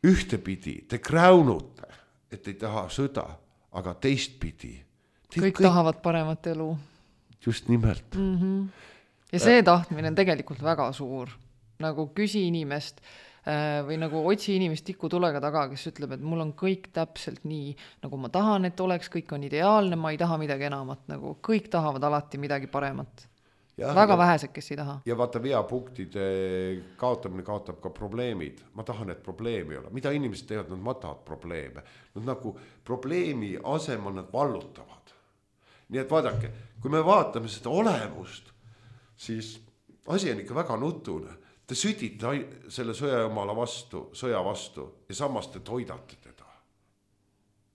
Ühtepidi te kräunute, et ei taha sõda, aga teistpidi. Kõik, kõik tahavad paremat elu. Just nimelt. Mm-hmm. Ja see tahtmine on tegelikult väga suur. Nagu küsi inimest või nagu otsi inimest tikutulega taga, kes ütleb, et mul on kõik täpselt nii, nagu ma tahan, et oleks, kõik on ideaalne, ma ei taha midagi enamat, nagu kõik tahavad alati midagi paremat. Ja, väga ja, vähesed, kes ei taha. Ja vaata, veapunktide kaotamine kaotab ka probleemid. Ma tahan, et probleemi ei ole. Mida inimesed teevad, nad matavad probleeme. Nad nagu probleemi asemel nad vallutavad. Nii et vaadake, kui me vaatame seda olemust, siis asi on ikka väga nutune. Te südite selle sõjajumala vastu, sõja vastu ja samas te toidate teda.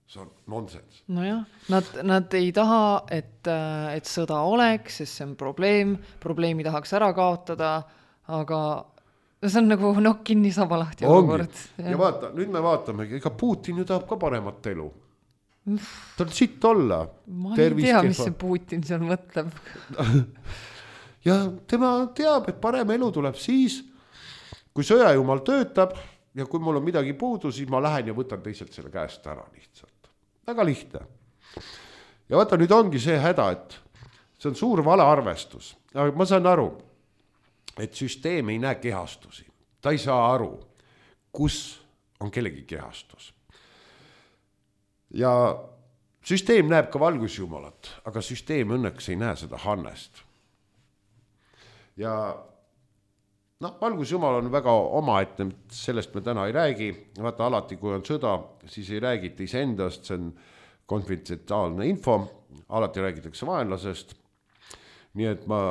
See on nonsens. No jah, nad, nad ei taha, et, et sõda oleks, sest see on probleem, probleemi tahaks ära kaotada, aga see on nagu nokk kinni saba lahti olukord. Ja vaata, nüüd me vaatame, ega Putin ju tahab ka paremat elu. Ta on sitt olla. Ma ei tea, mis see Putin seal mõtleb. Ja tema teab, et parem elu tuleb siis, kui sõjajumal töötab ja kui mul on midagi puudu, siis ma lähen ja võtan teiselt selle käest ära lihtsalt. Väga lihtne. Ja vaata, nüüd ongi see häda, et see on suur valearvestus. Aga ma saan aru, et süsteem ei näe kehastusi. Ta ei saa aru, kus on kellegi kehastus. Ja süsteem näeb ka valgusjumalat, aga süsteem õnneks ei näe seda Hannest. Ja no, valgusjumal on väga omaette, sellest me täna ei räägi. Vaata, alati kui on sõda, siis ei räägita iseendast, see on konfidentsiaalne info, alati räägitakse vaenlasest. Nii et ma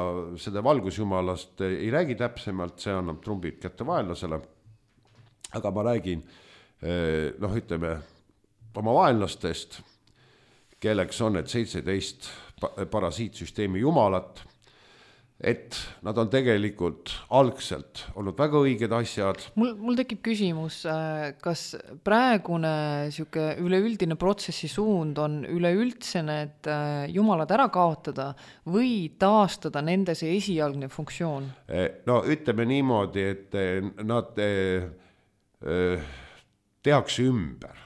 seda valgusjumalast ei räägi täpsemalt, see annab trumbid kätte vaenlasele. Aga ma räägin, noh, ütleme, oma vaenlastest, kelleks on need seitseteist parasiitsüsteemi jumalat, et nad on tegelikult algselt olnud väga õiged asjad. Mul, mul tekib küsimus, kas praegune siuke üleüldine protsessi suund on üleüldse need jumalad ära kaotada või taastada nende see esialgne funktsioon? No ütleme niimoodi, et nad tehakse ümber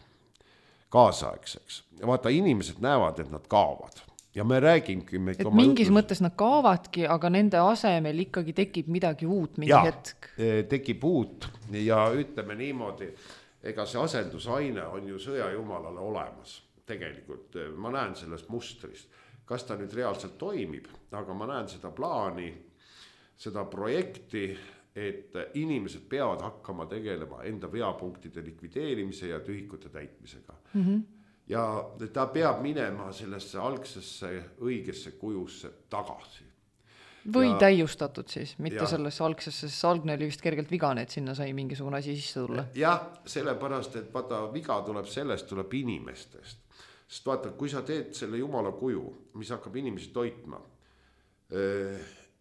kaasaegseks. Vaata, inimesed näevad, et nad kaovad. Ja me räägingi... Et mingis jutus... mõttes nad kaavadki, aga nende asemel ikkagi tekib midagi uut mingi ja, hetk. Tekib uut ja ütleme niimoodi, ega see asendusaine on ju sõjajumalale olemas. Tegelikult ma näen sellest mustrist. Kas ta nüüd reaalselt toimib, aga ma näen seda plaani, seda projekti, et inimesed peavad hakkama tegelema enda veapunktide likvideerimise ja tühikute täitmisega. Mhm. Ja ta peab minema sellesse algsesse õigesse kujusse tagasi. Või ja, täiustatud siis, mitte ja, sellesse algsesse, sest algne oli vist kergelt vigane, et sinna sai mingisugune asi sisse tulla. Jah, sellepärast, et vaata, viga tuleb sellest, tuleb inimestest. Sest vaata, kui sa teed selle jumala kuju, mis hakkab inimesi toitma,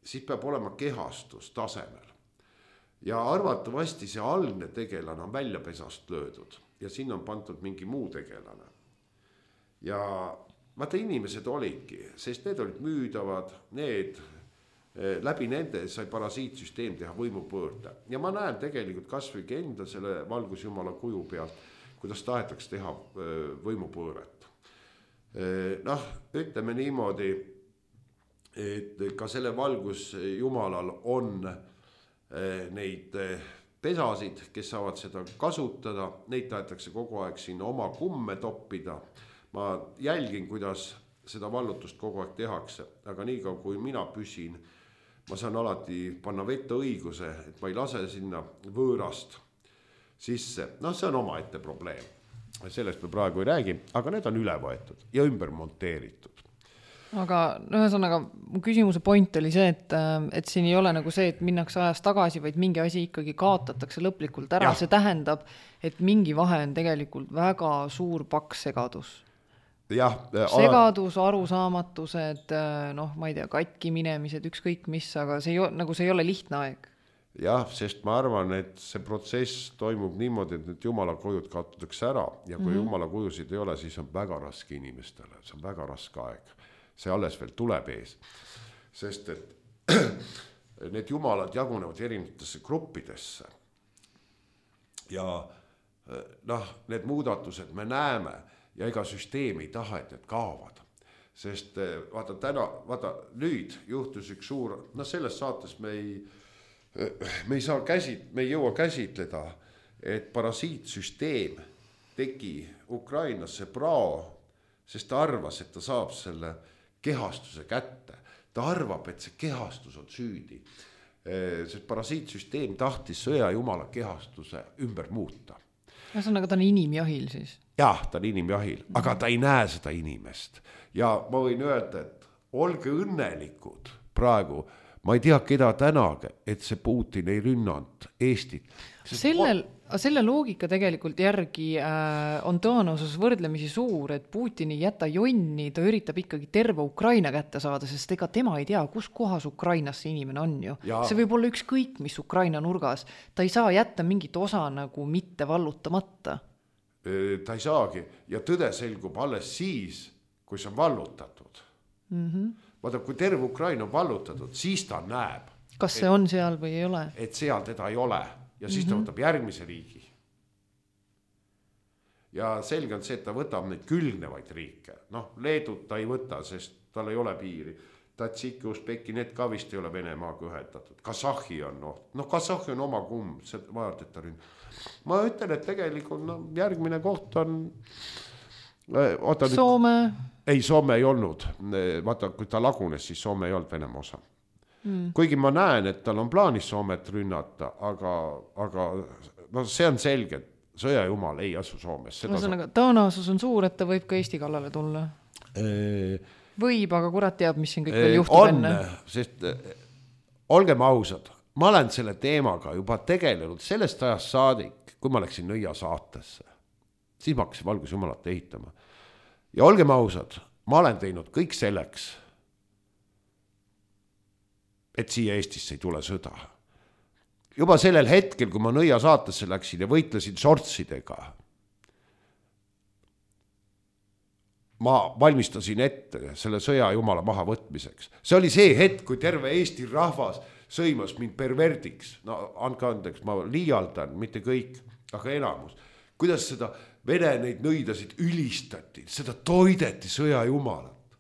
siis peab olema kehastus tasemel. Ja arvatavasti see algne tegelane on väljapesast löödud ja siin on pandud mingi muu tegelane. Ja vaata, inimesed olidki, sest need olid müüdavad, need, läbi nende sai parasiitsüsteem teha võimupöörde. Ja ma näen tegelikult kasvõi enda selle valgusjumala kuju pealt, kuidas tahetakse teha võimupööret. Noh, ütleme niimoodi, et ka selle valgusjumalal on neid pesasid, kes saavad seda kasutada, neid tahetakse kogu aeg sinna oma kumme toppida. Ma jälgin, kuidas seda vallutust kogu aeg tehakse, aga nii kaua kui mina püsin, ma saan alati panna vette õiguse, et ma ei lase sinna võõrast sisse. No see on oma ette probleem. Sellest me praegu ei räägi, aga need on üle võetud ja ümber monteeritud. Aga ühesõnaga, mu küsimuse point oli see, et, et siin ei ole nagu see, et minnakse ajas tagasi, vaid mingi asi ikkagi kaotatakse lõplikult ära. Ja. See tähendab, et mingi vahe on tegelikult väga suur paks segadus. Ja, segadus, arusaamatused, noh, ma ei tea, katki minemised, ükskõik mis, aga see ei, nagu see ei ole lihtne aeg. Jah, sest ma arvan, et see protsess toimub niimoodi, et need jumala kujud kaotatakse ära ja kui mm-hmm. jumala kujusid ei ole, siis on väga raske inimestele, see on väga raske aeg. See alles veel tuleb ees, sest et need jumalad jagunevad erinevatesse gruppidesse ja noh, need muudatused me näeme ja ega süsteem ei taha, et need kaovad, sest vaata täna, vaata nüüd juhtus üks suur, noh selles saates me ei me ei saa käsit, me ei jõua käsitleda, et parasiitsüsteem tegi Ukrainasse prao, sest ta arvas, et ta saab selle kehastuse kätte. Ta arvab, et see kehastus on süüdi. See parasiitsüsteem tahtis sõja jumala kehastuse ümber muuta. Ühesõnaga, ta on inimjahil siis? Jah, ta on inimjahil, aga ta ei näe seda inimest. Ja ma võin öelda, et olge õnnelikud praegu. Ma ei tea, keda tänage, et see Putin ei rünnanud Eestit. Sellel, selle loogika tegelikult järgi äh, on tõenäosus võrdlemisi suur, et Putin ei jäta jonni, ta üritab ikkagi terve Ukraina kätte saada, sest ega tema ei tea, kus kohas Ukrainas see inimene on ju. Ja. See võib olla ükskõik, mis Ukraina nurgas. Ta ei saa jätta mingit osa nagu mitte vallutamata. Ta ei saagi ja tõde selgub alles siis, kui see on vallutatud. Mhm. Vaata, kui terve Ukraina on vallutatud, siis ta näeb. Kas see et, on seal või ei ole? Et seal teda ei ole ja siis mm-hmm. ta võtab järgmise riigi. Ja selge on see, et ta võtab neid külgnevaid riike. Noh, Leedut ta ei võta, sest tal ei ole piiri. Tatsiki, Usbeki, need ka vist ei ole Venemaaga ühendatud. Kasahhi on, noh, no, Kasahhi on oma kumm, see vajalt, et ta ründ. Ma ütlen, et tegelikult no, järgmine koht on... Oota, Soome... Ei, Soome ei olnud. Vaata, kui ta lagunes, siis Soome ei olnud Venemaa osa. Mm. Kuigi ma näen, et tal on plaanis Soomet rünnata, aga, aga no, see on selge, et sõjajumal ei asu Soomes. Ühesõnaga, tõenäosus on suur, et ta võib ka Eesti kallale tulla. E... Võib, aga kurat teab, mis siin kõik veel juhtub on, enne. Sest olgem ausad, ma olen selle teemaga juba tegelenud sellest ajast saadik, kui ma läksin Nõia saatesse. Siis ma hakkasin valgusjumalat ehitama. Ja olgem ausad, ma olen teinud kõik selleks, et siia Eestisse ei tule sõda. Juba sellel hetkel, kui ma Nõia saatesse läksin ja võitlesin sortsidega, ma valmistasin ette selle sõja jumala maha võtmiseks. See oli see hetk, kui terve Eesti rahvas sõimas mind perverdiks. No andke andeks, ma liialdan, mitte kõik, aga enamus. Kuidas seda Vene neid nõidasid ülistati, seda toideti sõja jumalat.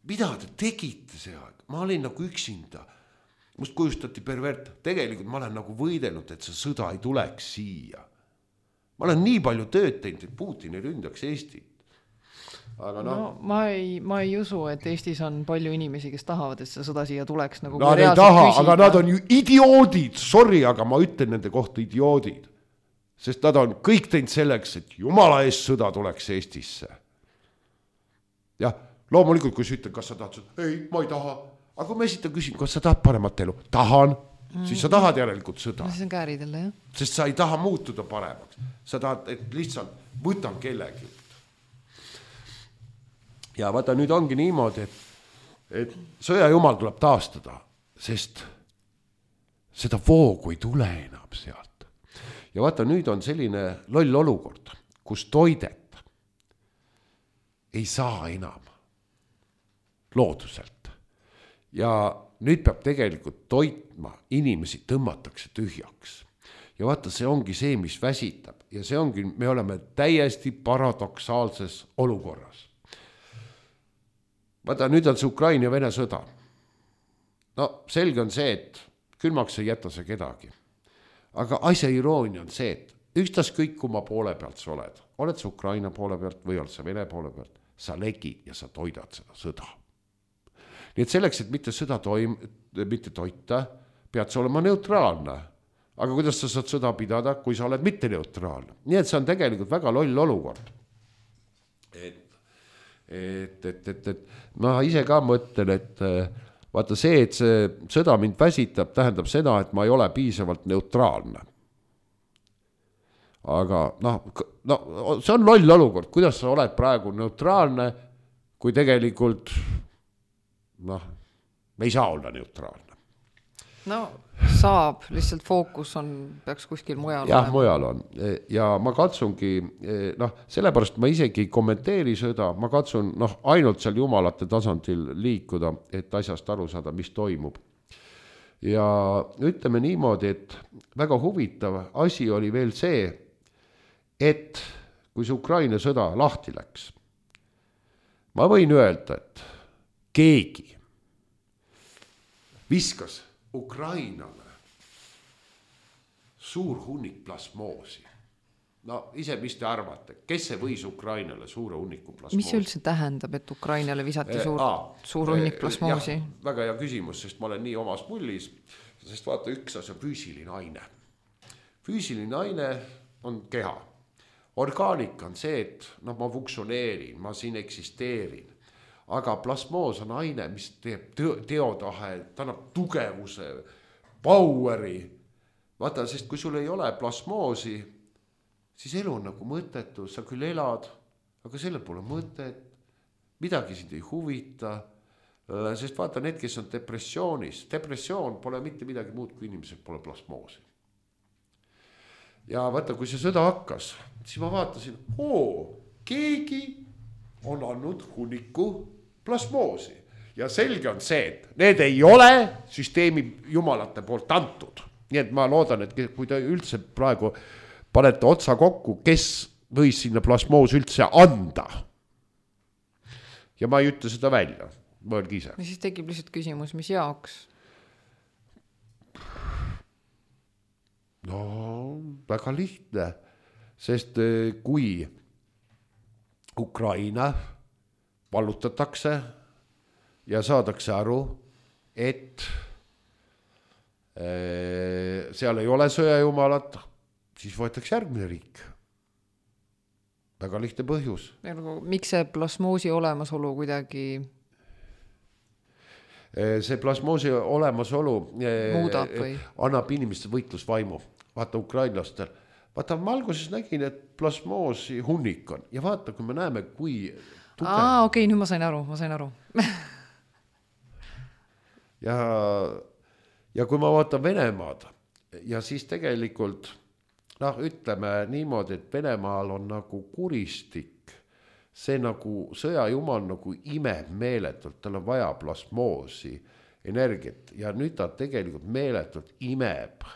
Mida te tegite see aeg? Ma olin nagu üksinda. Must kujustati pervert. Tegelikult ma olen nagu võidelnud, et see sõda ei tuleks siia. Ma olen nii palju tööd teinud, et Putin ei ründaks Eestit. Aga no, no ma, ei, ma ei usu, et Eestis on palju inimesi, kes tahavad, et see sõda siia tuleks. Nagu nad ei taha, küsida. Aga nad on ju idioodid. Sorry, aga ma ütlen nende kohta idioodid. Sest nad on kõik teinud selleks, et jumala eest sõda tuleks Eestisse. Jah, loomulikult, kui sa ütled, kas sa tahad, ei, ma ei taha. Aga kui ma esitan küsin, kas sa tahad paremat elu? Tahan, mm. siis sa tahad järelikult sõda. See on kääridele, jah. Sest sa ei taha muutuda paremaks. Sa tahad, et lihtsalt võtan kellegi. Ja vaata, nüüd ongi niimoodi, et, et sõja jumal tuleb taastada, sest seda voogu ei tule enam sealt. Ja vaata, nüüd on selline loll olukord, kus toidet ei saa enam looduselt. Ja nüüd peab tegelikult toitma, inimesi tõmmatakse tühjaks. Ja vaata, see ongi see, mis väsitab. Ja see ongi, me oleme täiesti paradoksaalses olukorras. vaata, nüüd on see Ukraina ja Vene sõda. No selge on see, et külmaks ei jäta see kedagi. Aga asja iroonia on see, et ükstas kõik kuma poole pealt sa oled. Oled sa Ukraina poole pealt või oled sa Vene poole pealt, sa legid ja sa toidad seda sõda. Nii et selleks, et mitte sõda toim, mitte toita, pead sa olema neutraalne. Aga kuidas sa saad sõda pidada, kui sa oled mitte neutraalne? Nii et see on tegelikult väga loll olukord. Et, et, et, et, et ma ise ka mõtlen, et vaata see, et see sõda mind väsitab, tähendab seda, et ma ei ole piisavalt neutraalne. Aga noh, no, see on loll olukord, kuidas sa oled praegu neutraalne, kui tegelikult noh, me ei saa olla neutraalne. No saab, lihtsalt fookus on, peaks kuskil mujal. Jah, mujal on. Ja ma katsungi, noh, sellepärast ma isegi ei kommenteeri seda, ma katsun noh, ainult seal jumalate tasandil liikuda, et asjast aru saada, mis toimub. Ja ütleme niimoodi, et väga huvitav asi oli veel see, et kui see Ukraina sõda lahti läks, ma võin öelda, et keegi viskas Ukrainale suur hunnik plasmoosi. No ise, mis te arvate, kes see võis Ukrainale suure hunniku plasmoosi? Mis see üldse tähendab, et Ukrainale visati suur, Aa, suur hunnik plasmoosi? Jah, väga hea küsimus, sest ma olen nii omas mullis, sest vaata, üks asi on füüsiline aine. Füüsiline aine on keha. Orgaanika on see, et no, ma funktsioneerin, ma siin eksisteerin. Aga plasmoos on aine, mis teeb teotahe, ta annab tugevuse, poweri. Vaata, sest kui sul ei ole plasmoosi, siis elu on nagu mõttetu, sa küll elad, aga sellel pole mõtet, midagi sind ei huvita, sest vaata need, kes on depressioonis, depressioon pole mitte midagi muud, kui inimesed pole plasmoosi. Ja vaata, kui see sõda hakkas, siis ma vaatasin, oo, keegi on andnud hunniku plasmoosi. Ja selge on see, et need ei ole süsteemi jumalate poolt antud. Nii et ma loodan, et kui te üldse praegu panete otsa kokku, kes võis sinna plasmoos üldse anda. Ja ma ei ütle seda välja, mõelge ise. Ja siis tekib lihtsalt küsimus, mis jaoks? No, väga lihtne, sest kui Ukraina vallutatakse ja saadakse aru, et seal ei ole sõjajumalat, siis võetakse järgmine riik. Väga lihtne põhjus. Miks see plasmoosi olemasolu kuidagi see plasmoosi olemasolu muudab või? Annab inimeste võitlusvaimu. Vaata ukrainlastel. Vaata, ma alguses nägin, et plasmoosi hunnik on. Ja vaata, kui me näeme, kui tugev. Aa, okei, okay, nüüd ma sain aru, ma sain aru. ja, ja kui ma vaatan Venemaad, ja siis tegelikult, noh, ütleme niimoodi, et Venemaal on nagu kuristik, see nagu sõjajumal nagu imeb meeletult, tal on vaja plasmoosi, energiat, ja nüüd ta tegelikult meeletult imeb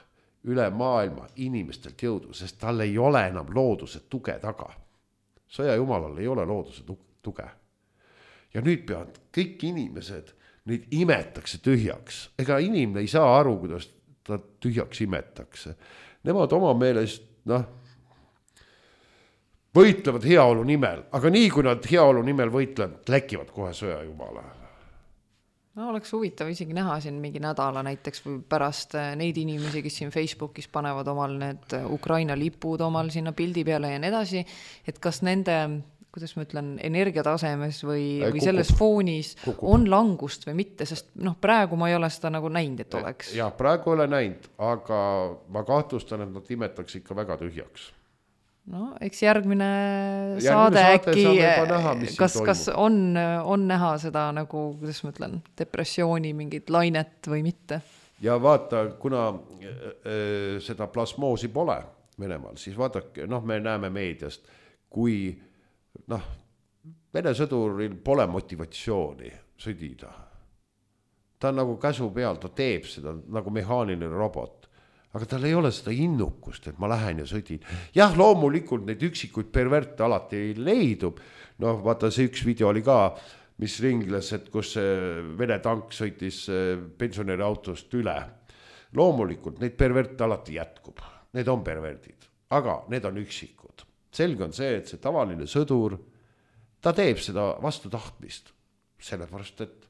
üle maailma inimestelt jõudu, sest tal ei ole enam looduse tuge taga. Sõjajumalal ei ole looduse tuge. Ja nüüd peavad kõik inimesed, neid imetakse tühjaks. Ega inimene ei saa aru, kuidas ta tühjaks imetakse. Nemad oma meelest, noh, võitlevad heaolu nimel, aga nii kui nad heaolu nimel võitlevad, läkivad kohe sõjajumala. No, oleks huvitav isegi näha siin mingi nädala näiteks või pärast neid inimesi, kes siin Facebookis panevad omal need Ukraina lipud omal sinna pildi peale ja nii edasi, et kas nende, kuidas ma ütlen, energiatasemes või, või kukub, selles foonis kukub. On langust või mitte, sest noh, praegu ma ei ole seda nagu näinud, et oleks. Ja praegu ei ole näinud, aga ma kahtlustan, et nad imetaks ikka väga tühjaks. No, eks järgmine, järgmine saade äkki, näha, kas, kas on, on näha seda nagu, kuidas ma ütlen, depressiooni mingit lainet või mitte? Ja vaata, kuna äh, seda plasmoosi pole Venemaal, siis vaadake, noh, me näeme meediast, kui noh, Vene sõduril pole motivatsiooni sõdida. Ta on nagu käsu peal, ta teeb seda nagu mehaaniline robot. Aga tal ei ole seda innukust, et ma lähen ja sõdin. Jah, loomulikult neid üksikuid perverte alati leidub. Noh, vaata, see üks video oli ka, mis ringles, et kus Vene tank sõitis pensionäri autost üle. Loomulikult neid perverte alati jätkub, need on perverdid, aga need on üksikud. Selge on see, et see tavaline sõdur, ta teeb seda vastu tahtmist, sellepärast, et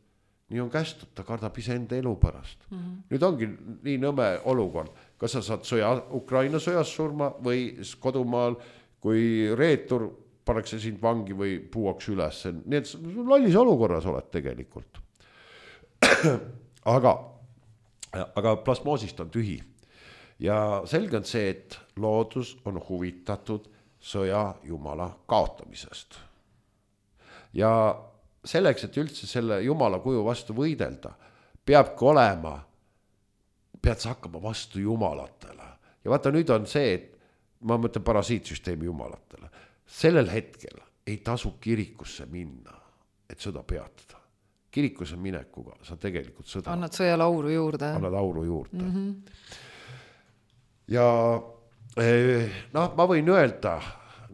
nii on kästud, ta kardab ise enda elu pärast. Mm-hmm. Nüüd ongi nii nõme olukord, kas sa saad sõja, Ukraina sõjas surma või kodumaal, kui reetur paneks sind vangi või puuaks üles. Nii et lollis olukorras oled tegelikult. aga, aga plasmoosist on tühi. Ja selge on see, et loodus on huvitatud sõja jumala kaotamisest. Ja selleks, et üldse selle jumala kuju vastu võidelda, peabki olema, pead sa hakkama vastu jumalatele. Ja vaata, nüüd on see, et ma mõtlen parasiitsüsteemi jumalatele. Sellel hetkel ei tasu kirikusse minna, et sõda peatada. Kirikusse minekuga sa tegelikult sõda. Annad sõjale auru juurde. Annad auru juurde. Mm-hmm. Ja noh, ma võin öelda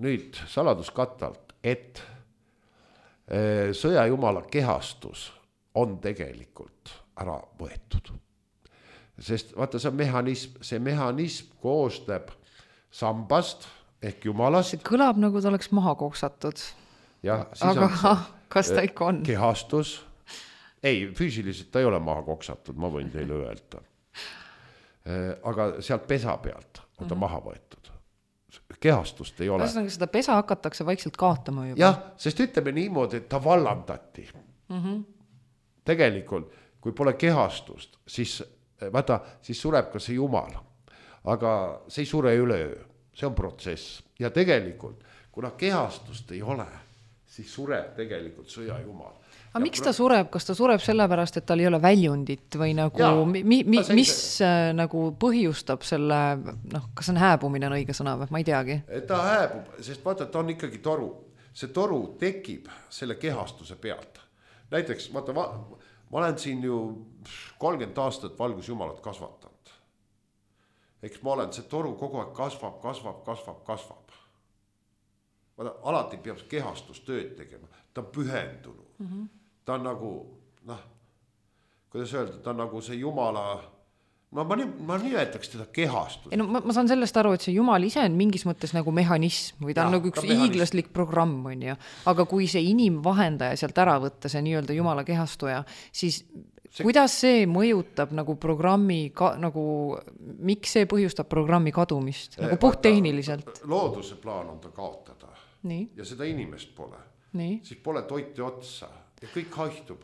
nüüd saladuskattalt, et sõjajumala kehastus on tegelikult ära võetud. Sest vaata, see mehhanism, see mehhanism koosneb sambast ehk jumalast. See kõlab nagu ta oleks maha koksatud. Ja, aga kas ta ikka on? Kehastus. Ei, füüsiliselt ta ei ole maha koksatud, ma võin teile öelda. Aga sealt pesa pealt on ta mm-hmm. maha võetud. Kehastust ei ole. Kas seda pesa hakatakse vaikselt kaotama juba? Jah, sest ütleme niimoodi, et ta vallandati. Mm-hmm. Tegelikult, kui pole kehastust, siis, vaata, siis sureb ka see jumal. Aga see ei sure üleöö. See on protsess. Ja tegelikult, kuna kehastust ei ole, siis sureb tegelikult sõja jumal. Aga miks ta sureb? Kas ta sureb sellepärast, et tal ei ole väljundit või nagu, ja, mi, mi, mis äh, nagu põhjustab selle, noh, kas on hääbumine on õige sõna või? Ma ei teagi. Ta hääbub, sest vaata, ta on ikkagi toru. See toru tekib selle kehastuse pealt. Näiteks, vaata, ma, ma olen siin ju kolmkümmend aastat valgusjumalat kasvatanud. Eks ma olen, see toru kogu aeg kasvab, kasvab, kasvab, kasvab. Vaata, alati peab kehastus tööd tegema. Ta on pühendunud. Mm-hmm. Ta on nagu, noh, kuidas öelda, ta on nagu see jumala, no ma, ma nimetaks teda kehastus. Ei, no, ma, ma saan sellest aru, et see jumal ise on mingis mõttes nagu mehhanism või ta ja, on nagu üks hiiglaslik programm, on ju. Aga kui see inimvahendaja sealt ära võtta, see nii-öelda jumala kehastuja, siis see, kuidas see mõjutab nagu programmi, ka, nagu, miks see põhjustab programmi kadumist? Nagu puht tehniliselt. Looduse plaan on ta kaotada. Nii. Ja seda inimest pole. Nii. Siis pole toiti otsa ja kõik haihtub.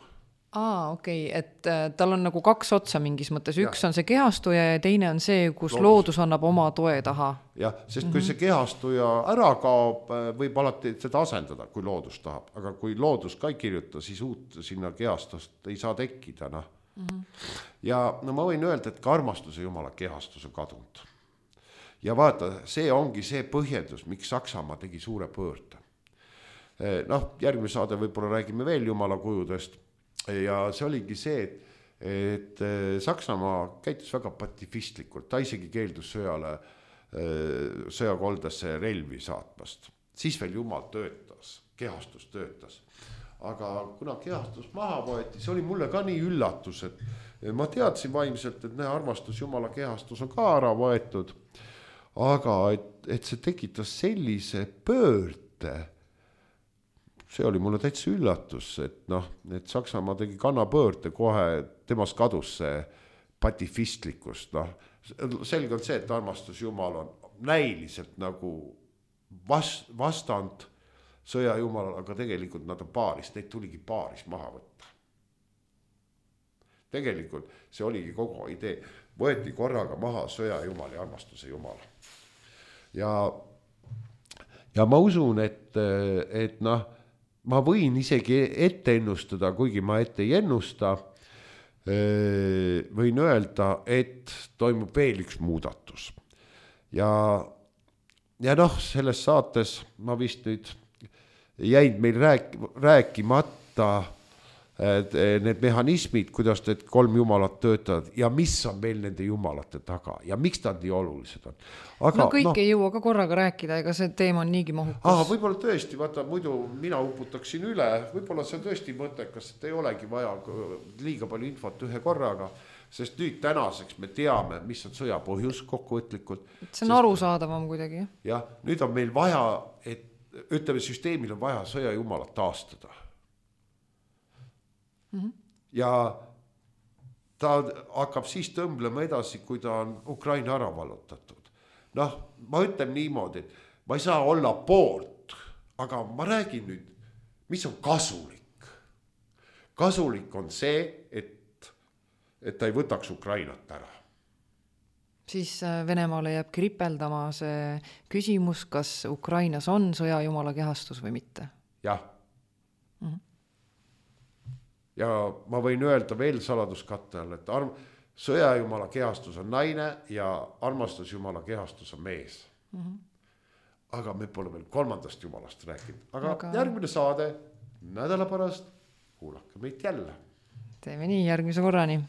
Aa, okei, okay. Et äh, tal on nagu kaks otsa mingis mõttes. Üks ja. On see kehastuja ja teine on see, kus loodus, loodus annab oma toe taha. Jah, sest mm-hmm. kui see kehastuja ära kaob, võib alati seda asendada, kui loodus tahab. Aga kui loodus ka ei kirjuta, siis uut sinna kehastust ei saa tekkida. No. Mm-hmm. Ja no ma võin öelda, et ka armastuse jumala kehastus on kadunud. Ja vaata, see ongi see põhjendus, miks Saksamaa tegi suure pöörde. Noh, järgmine saade võib-olla räägime veel jumala kujudest ja see oligi see, et, et Saksamaa käitus väga patifistlikult, ta isegi keeldus sõjale, sõjakoldesse relvi saatmast. Siis veel jumal töötas, kehastus töötas. Aga kuna kehastus maha võeti, see oli mulle ka nii üllatus, et ma teadsin vaimselt, et näe, armastus jumala kehastus on ka ära võetud, aga et, et see tekitas sellise pöörde, see oli mulle täitsa üllatus, et noh, et Saksamaa tegi kannapöörde kohe, temast kadus see patifistlikust, noh, selge on see, et armastus jumal on näiliselt nagu vast, vastand sõja jumalal, aga tegelikult nad on paaris, neid tuligi paaris maha võtta. Tegelikult see oligi kogu idee, võeti korraga maha sõja jumal ja armastuse jumal. Ja, ja ma usun, et, et noh, ma võin isegi ette ennustada, kuigi ma ette ei ennusta, võin öelda, et toimub veel üks muudatus. Ja, ja noh, selles saates ma vist nüüd jäid meil rääk, rääkimata need mehhanismid, kuidas need kolm jumalat töötavad ja mis on meil nende jumalate taga ja miks nad nii olulised on. Aga, no kõik no, ei jõua ka korraga rääkida, ega see teema on niigi mahukas. Aha, võib-olla tõesti, vaata, muidu mina uputaksin üle, võib-olla see on tõesti mõttekas, et ei olegi vaja liiga palju infot ühe korraga, sest nüüd tänaseks me teame, mis on sõja põhjus kokkuvõtlikult. See on arusaadavam kuidagi. Jah, nüüd on meil vaja, et ütleme, süsteemil on vaja sõja jumalat taastada. Mm-hmm. Ja ta hakkab siis tõmblema edasi, kui ta on Ukraina ära vallutatud. Noh, ma ütlen niimoodi, et ma ei saa olla poolt, aga ma räägin nüüd, mis on kasulik. Kasulik on see, et, et ta ei võtaks Ukrainat ära. Siis Venemaale jääb kripeldama see küsimus, kas Ukrainas on sõjajumala kehastus või mitte. Jah. Mm-hmm. Ja ma võin öelda veel saladuskatte all, et arm, sõjajumala kehastus on naine ja armastusjumala kehastus on mees. Mm-hmm. Aga me pole veel kolmandast jumalast rääkinud. Aga, aga järgmine saade nädala pärast kuulake meid jälle. Teeme nii, järgmise korrani.